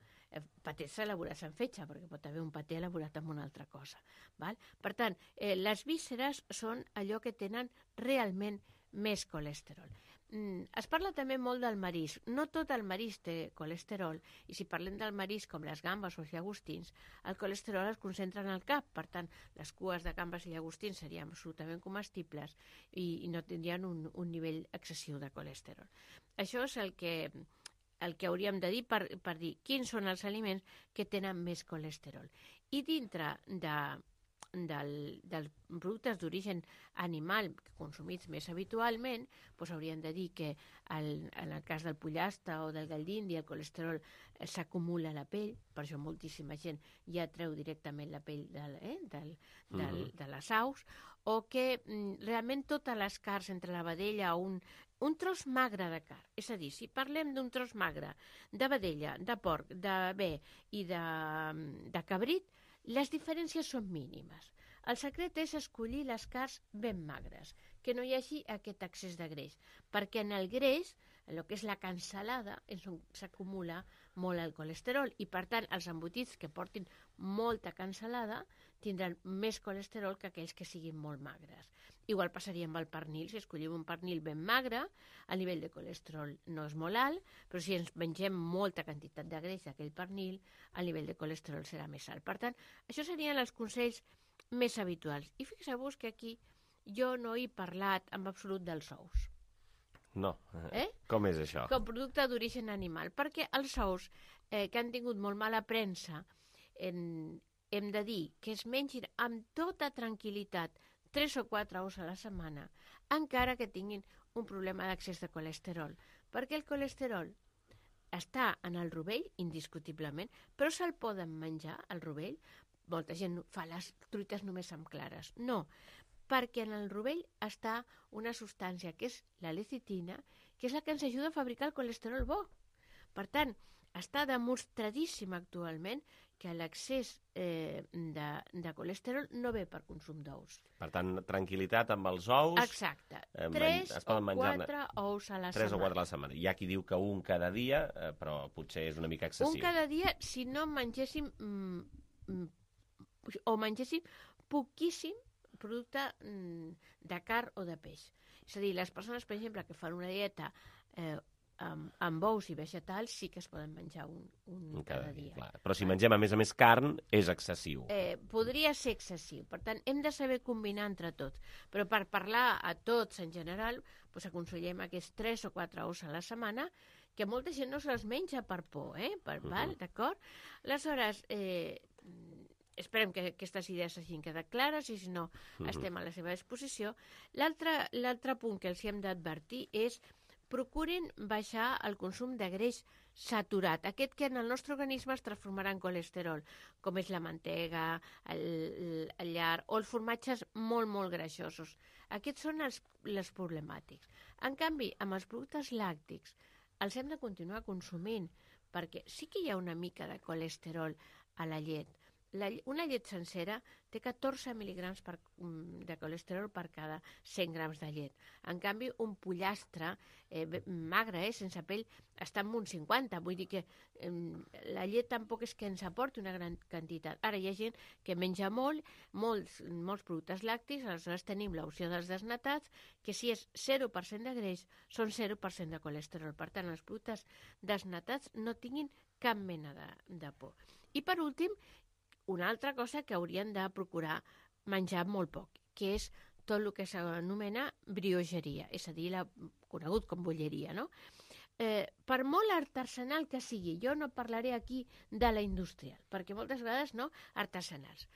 Patés elaborats en fetge, perquè pot haver un paté elaborat amb una altra cosa. Val? Per tant, eh, les vísceres són allò que tenen realment més colesterol. Mm, es parla també molt del marisc. No tot el marisc té colesterol, i si parlem del marisc com les gambes o els llagostins, el colesterol es concentra en el cap, per tant, les cues de gambes i llagostins serien absolutament comestibles i, i no tindrien un, un nivell excessiu de colesterol. Això és el que... el que hauríem de dir per, per dir quins són els aliments que tenen més colesterol. I dintre de, del, dels productes d'origen animal consumits més habitualment, doncs hauríem de dir que el, en el cas del pollastre o del gall d'Índia el colesterol s'acumula a la pell, per això moltíssima gent ja treu directament la pell del, eh, del, del, mm-hmm. de les aus, o que mm, realment totes les carns entre la vedella o un un tros magre de carn, és a dir, si parlem d'un tros magre de vedella, de porc, de bé i de, de cabrit, les diferències són mínimes. El secret és escollir les carns ben magres, que no hi hagi aquest excés de greix, perquè en el greix el que és la cansalada és on s'acumula molt el colesterol i, per tant, els embotits que portin molta cansalada tindran més colesterol que aquells que siguin molt magres. Igual passaria amb el pernil. Si escollim un pernil ben magre, el nivell de colesterol no és molt alt, però si ens mengem molta quantitat de greix d'aquell pernil, el nivell de colesterol serà més alt. Per tant, això serien els consells més habituals. I fixeu-vos que aquí jo no he parlat en absolut dels ous. No. Eh? Com és això? Com producte d'origen animal. Perquè els ous, eh, que han tingut molt mala premsa, en, hem de dir que es mengin amb tota tranquil·litat tres o quatre ous a la setmana, encara que tinguin un problema d'accés de colesterol. Perquè el colesterol està en el rovell, indiscutiblement, però se'l poden menjar, el rovell. Molta gent fa les truites només amb clares. No, perquè en el rovell està una substància que és la lecitina, que és la que ens ajuda a fabricar el colesterol bo. Per tant, està demostradíssim actualment que l'accés eh, de, de colesterol no ve per consum d'ous. Per tant, tranquil·litat amb els ous. Exacte. Eh, tres o quatre ous a la setmana. Tres o quatre a la setmana. Hi ha qui diu que un cada dia, eh, però potser és una mica excessiu. Un cada dia, si no mengéssim mm, mm, o mengéssim poquíssim producte mm, de carn o de peix. És a dir, les persones, per exemple, que fan una dieta eh, amb, amb ous i vegetals, sí que es poden menjar un, un, un cada, cada dia. dia. Clar. Però si mengem, a més a més, carn, és excessiu. Eh, podria ser excessiu. Per tant, hem de saber combinar entre tots. Però per parlar a tots en general, doncs aconsellem aquests tres o quatre ous a la setmana, que molta gent no se'ls menja per por, eh? Per, uh -huh. val, d'acord? Aleshores, eh, esperem que aquestes idees hagin quedat clares i, si no, uh -huh. estem a la seva disposició. L'altre punt que els hem d'advertir és procurin baixar el consum de greix saturat, aquest que en el nostre organisme es transformarà en colesterol, com és la mantega, el, el lard o els formatges molt, molt greixosos. Aquests són els, els problemàtics. En canvi, amb els productes làctics els hem de continuar consumint, perquè sí que hi ha una mica de colesterol a la llet. La, una llet sencera té catorze mil·ligrams per, de colesterol per cada cent grams de llet. En canvi, un pollastre eh, magre, eh, sense pell, està en uns cinquanta. Vull dir que eh, la llet tampoc és que ens aporti una gran quantitat. Ara hi ha gent que menja molt, molts, molts productes làctics, aleshores tenim l'opció dels desnatats, que si és zero per cent de greix, són zero per cent de colesterol. Per tant, els productes desnatats no tinguin cap mena de, de por. I per últim, una altra cosa que haurien de procurar menjar molt poc, que és tot el que s'anomena briogeria, és a dir, la, conegut com bolleria, no? Eh, per molt artesanal que sigui, jo no parlaré aquí de la industrial, perquè moltes vegades no, artesanals.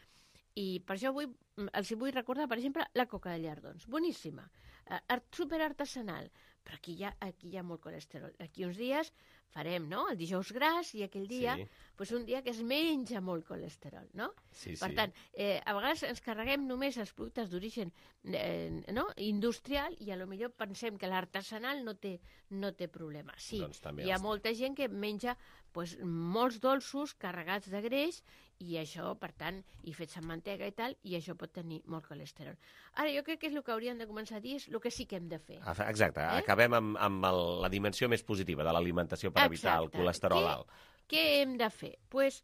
I per això vull, els vull recordar, per exemple, la coca de llardons, boníssima, eh, superartesanal, però aquí hi, ha, aquí hi ha molt colesterol. Aquí uns dies farem, no?, el dijous gras i aquell dia, sí. pues un dia que es menja molt colesterol, no? Sí, per sí. tant, eh, a vegades ens carreguem només els productes d'origen eh, no? industrial i a lo millor pensem que l'artesanal no té, no té problema. Sí, doncs hi ha molta gent que menja pues, molts dolços carregats de greix i això, per tant, i fets amb mantega i tal, i això pot tenir molt colesterol. Ara, jo crec que és el que hauríem de començar a dir, és el que sí que hem de fer. Exacte, eh? Acabem amb, amb el, la dimensió més positiva de l'alimentació per evitar el colesterol què, alt. Què hem de fer? Pues,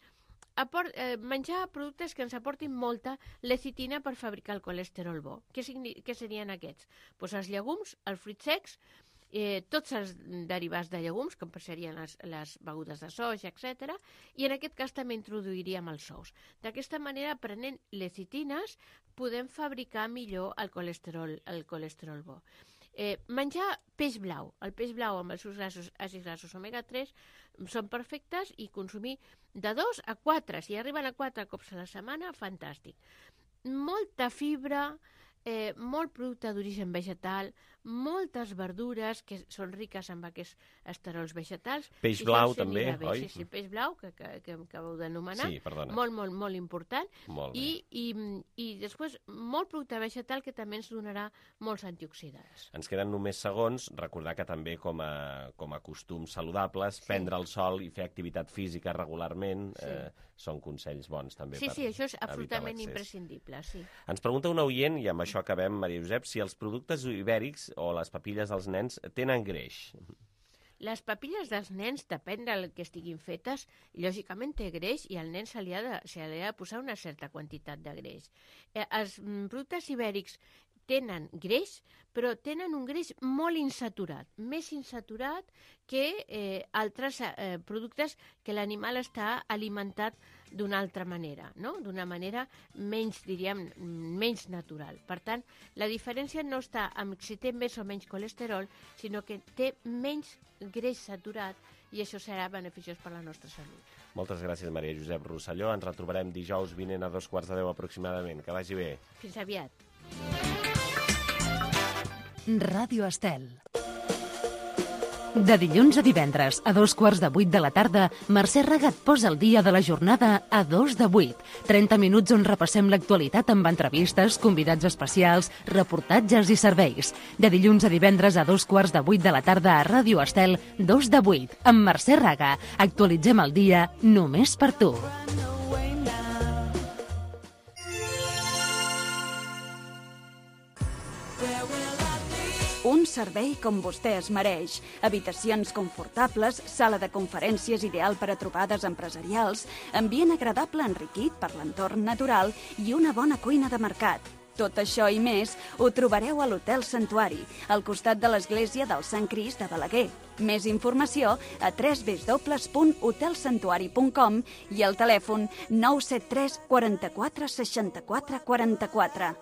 aport, eh, menjar productes que ens aportin molta lecitina per fabricar el colesterol bo. Què, què serien aquests? Pues els llegums, els fruits secs, eh, tots els derivats de llegums, com serien les, les begudes de soja, etcètera, i en aquest cas també introduiríem els ous. D'aquesta manera, prenent lecitines, podem fabricar millor el colesterol, el colesterol bo. Eh, menjar peix blau. El peix blau amb els seus grassos, àcids grassos omega tres són perfectes i consumir de dos a quatre. Si arriben a quatre cops a la setmana, fantàstic. Molta fibra, eh, molt producte d'origen vegetal, moltes verdures que són riques amb aquests esterols vegetals. Peix blau també, oi? Sí, sí, peix blau, que, que, que acabeu d'anomenar. Sí, perdona. Molt, molt, molt important. Molt I, i, I després, molt producte vegetal que també ens donarà molts antioxidants. Ens queden només segons. Recordar que també com a, com a costums saludables, sí. prendre el sol i fer activitat física regularment sí. eh, són consells bons també. Sí, per sí, això és absolutament imprescindible, sí. Ens pregunta un oient, i amb això acabem, Maria Josep, si els productes ibèrics o les papilles dels nens tenen greix. Les papilles dels nens, depèn del que estiguin fetes, lògicament té greix i al nen se li ha de, se li ha de posar una certa quantitat de greix. Eh, els productes ibèrics tenen greix, però tenen un greix molt insaturat, més insaturat que eh, altres eh, productes que l'animal està alimentat d'una altra manera, no? D'una manera menys, diríem, menys natural. Per tant, la diferència no està en si té més o menys colesterol, sinó que té menys greix saturat i això serà beneficiós per a la nostra salut. Moltes gràcies, Maria Josep Rosselló. Ens retrobarem dijous vinent a dos quarts de deu aproximadament. Que vagi bé. Fins aviat. Ràdio Estel. De dilluns a divendres, a dos quarts de vuit de la tarda, Mercè Raga et posa el dia de la jornada a dos de vuit. trenta minuts on repassem l'actualitat amb entrevistes, convidats especials, reportatges i serveis. De dilluns a divendres a dos quarts de vuit de la tarda a Ràdio Estel, dos de vuit, amb Mercè Raga. Actualitzem el dia només per tu. Un servei com vostè es mereix. Habitacions confortables, sala de conferències ideal per a trobades empresarials, ambient agradable enriquit per l'entorn natural i una bona cuina de mercat. Tot això i més ho trobareu a l'Hotel Santuari, al costat de l'església del Sant Crist de Balaguer. Més informació a w w w punt hotel santuari punt com i al telèfon nou set tres quaranta-quatre seixanta-quatre quaranta-quatre.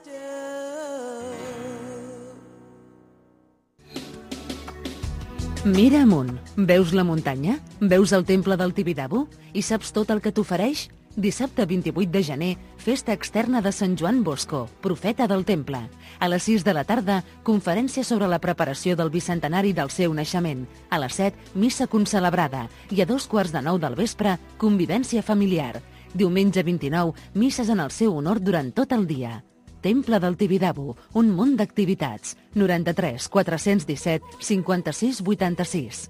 Mira amunt. Veus la muntanya? Veus el temple del Tibidabo? I saps tot el que t'ofereix? Dissabte vint-i-vuit de gener, festa externa de Sant Joan Bosco, profeta del temple. A les sis de la tarda, conferència sobre la preparació del bicentenari del seu naixement. A les set, missa concelebrada. I a dos quarts de nou del vespre, convivència familiar. Diumenge vint-i-nou, misses en el seu honor durant tot el dia. Temple del Tibidabo, un munt d'activitats. noranta-tres quatre-cents disset cinquanta-sis vuitanta-sis.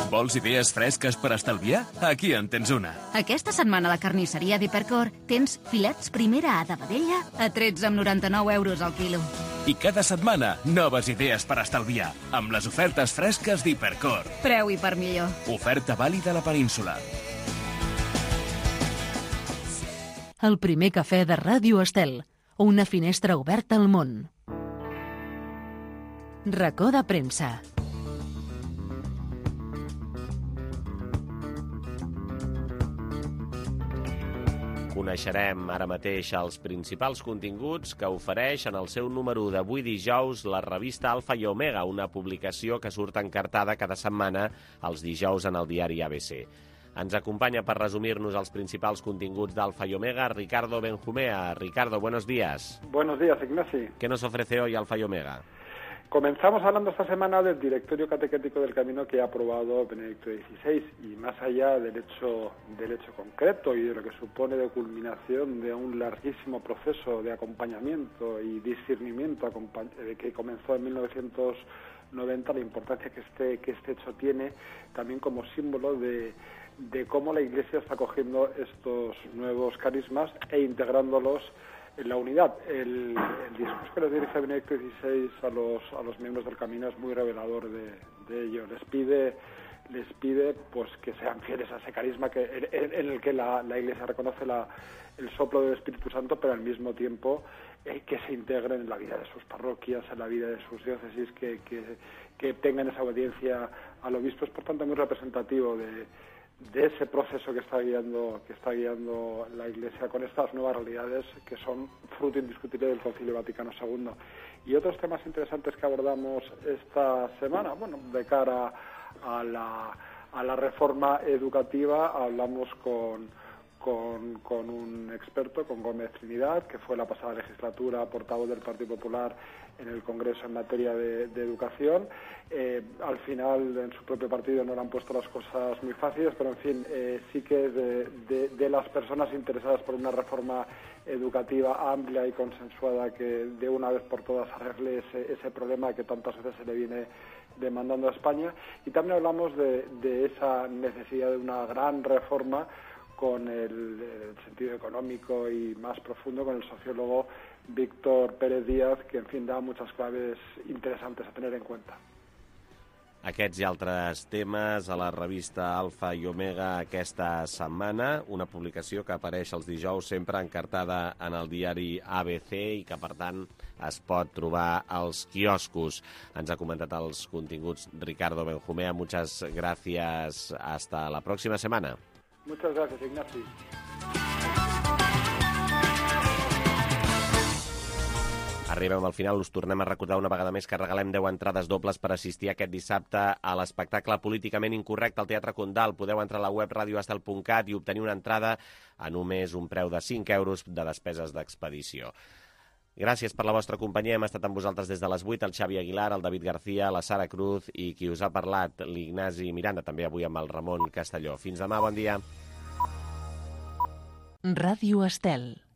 Vols idees fresques per estalviar? Aquí en tens una. Aquesta setmana a la carnisseria d'Hipercor tens filets primera A de vedella a tretze coma noranta-nou euros al quilo. I cada setmana, noves idees per estalviar, amb les ofertes fresques d'Hipercor. Preu i per millor. Oferta vàlida a la península. El primer cafè de Ràdio Estel, una finestra oberta al món. Racó de premsa. Coneixerem ara mateix els principals continguts que ofereix en el seu número d'avui dijous la revista Alfa i Omega, una publicació que surt encartada cada setmana els dijous en el diari A B C. Ens acompaña para resumirnos los principales continguts d'Alfa y Omega Ricardo Benjumea. Ricardo, buenos días. Buenos días, Ignasi. ¿Qué nos ofrece hoy Alfa y Omega? Comenzamos hablando esta semana del Directorio Catequético del Camino que ha aprobado Benedicto dieciséis y más allá del hecho, del hecho concreto y de lo que supone de culminación de un larguísimo proceso de acompañamiento y discernimiento que comenzó en mil novecientos noventa, la importancia que este, que este hecho tiene también como símbolo de de cómo la Iglesia está cogiendo estos nuevos carismas e integrándolos en la unidad. El, el discurso que les dirige Benedicto dieciséis a los, a los miembros del Camino es muy revelador de, de ello. Les pide, les pide pues que sean fieles a ese carisma que, en, en el que la, la Iglesia reconoce la, el soplo del Espíritu Santo, pero al mismo tiempo eh, que se integren en la vida de sus parroquias, en la vida de sus diócesis, que, que, que tengan esa obediencia al obispo. Es, por tanto, muy representativo de de ese proceso que está guiando que está guiando la Iglesia con estas nuevas realidades que son fruto indiscutible del Concilio Vaticano segundo. Y otros temas interesantes que abordamos esta semana, bueno, de cara a la, a la reforma educativa, hablamos con, con, con un experto, con Gómez Trinidad, que fue la pasada legislatura portavoz del Partido Popular en el Congreso en materia de, de educación. Eh, al final, en su propio partido no le han puesto las cosas muy fáciles, pero en fin, eh, sí que es de, de, de las personas interesadas por una reforma educativa amplia y consensuada que de una vez por todas arregle ese, ese problema que tantas veces se le viene demandando a España. Y también hablamos de, de esa necesidad de una gran reforma con el, el sentido económico y más profundo con el sociólogo Víctor Pérez Díaz, que en fin da muchas claves interesantes a tener en cuenta. Aquests i altres temes a la revista Alfa i Omega aquesta setmana, una publicació que apareix els dijous sempre encartada en el diari A B C i que, per tant, es pot trobar als quioscos. Ens ha comentat els continguts Ricardo Benjumea. Muchas gracias. Hasta la próxima semana. Muchas gracias, Ignasi. Arribem al final, us tornem a recordar una vegada més que regalem deu entrades dobles per assistir aquest dissabte a l'espectacle Políticament Incorrecte al Teatre Condal. Podeu entrar a la web radio estel punt cat i obtenir una entrada a només un preu de cinc euros de despeses d'expedició. Gràcies per la vostra companyia. Hem estat amb vosaltres des de les vuit, el Xavi Aguilar, el David García, la Sara Cruz i qui us ha parlat, l'Ignasi Miranda, també avui amb el Ramon Castelló. Fins demà, bon dia. Ràdio Estel.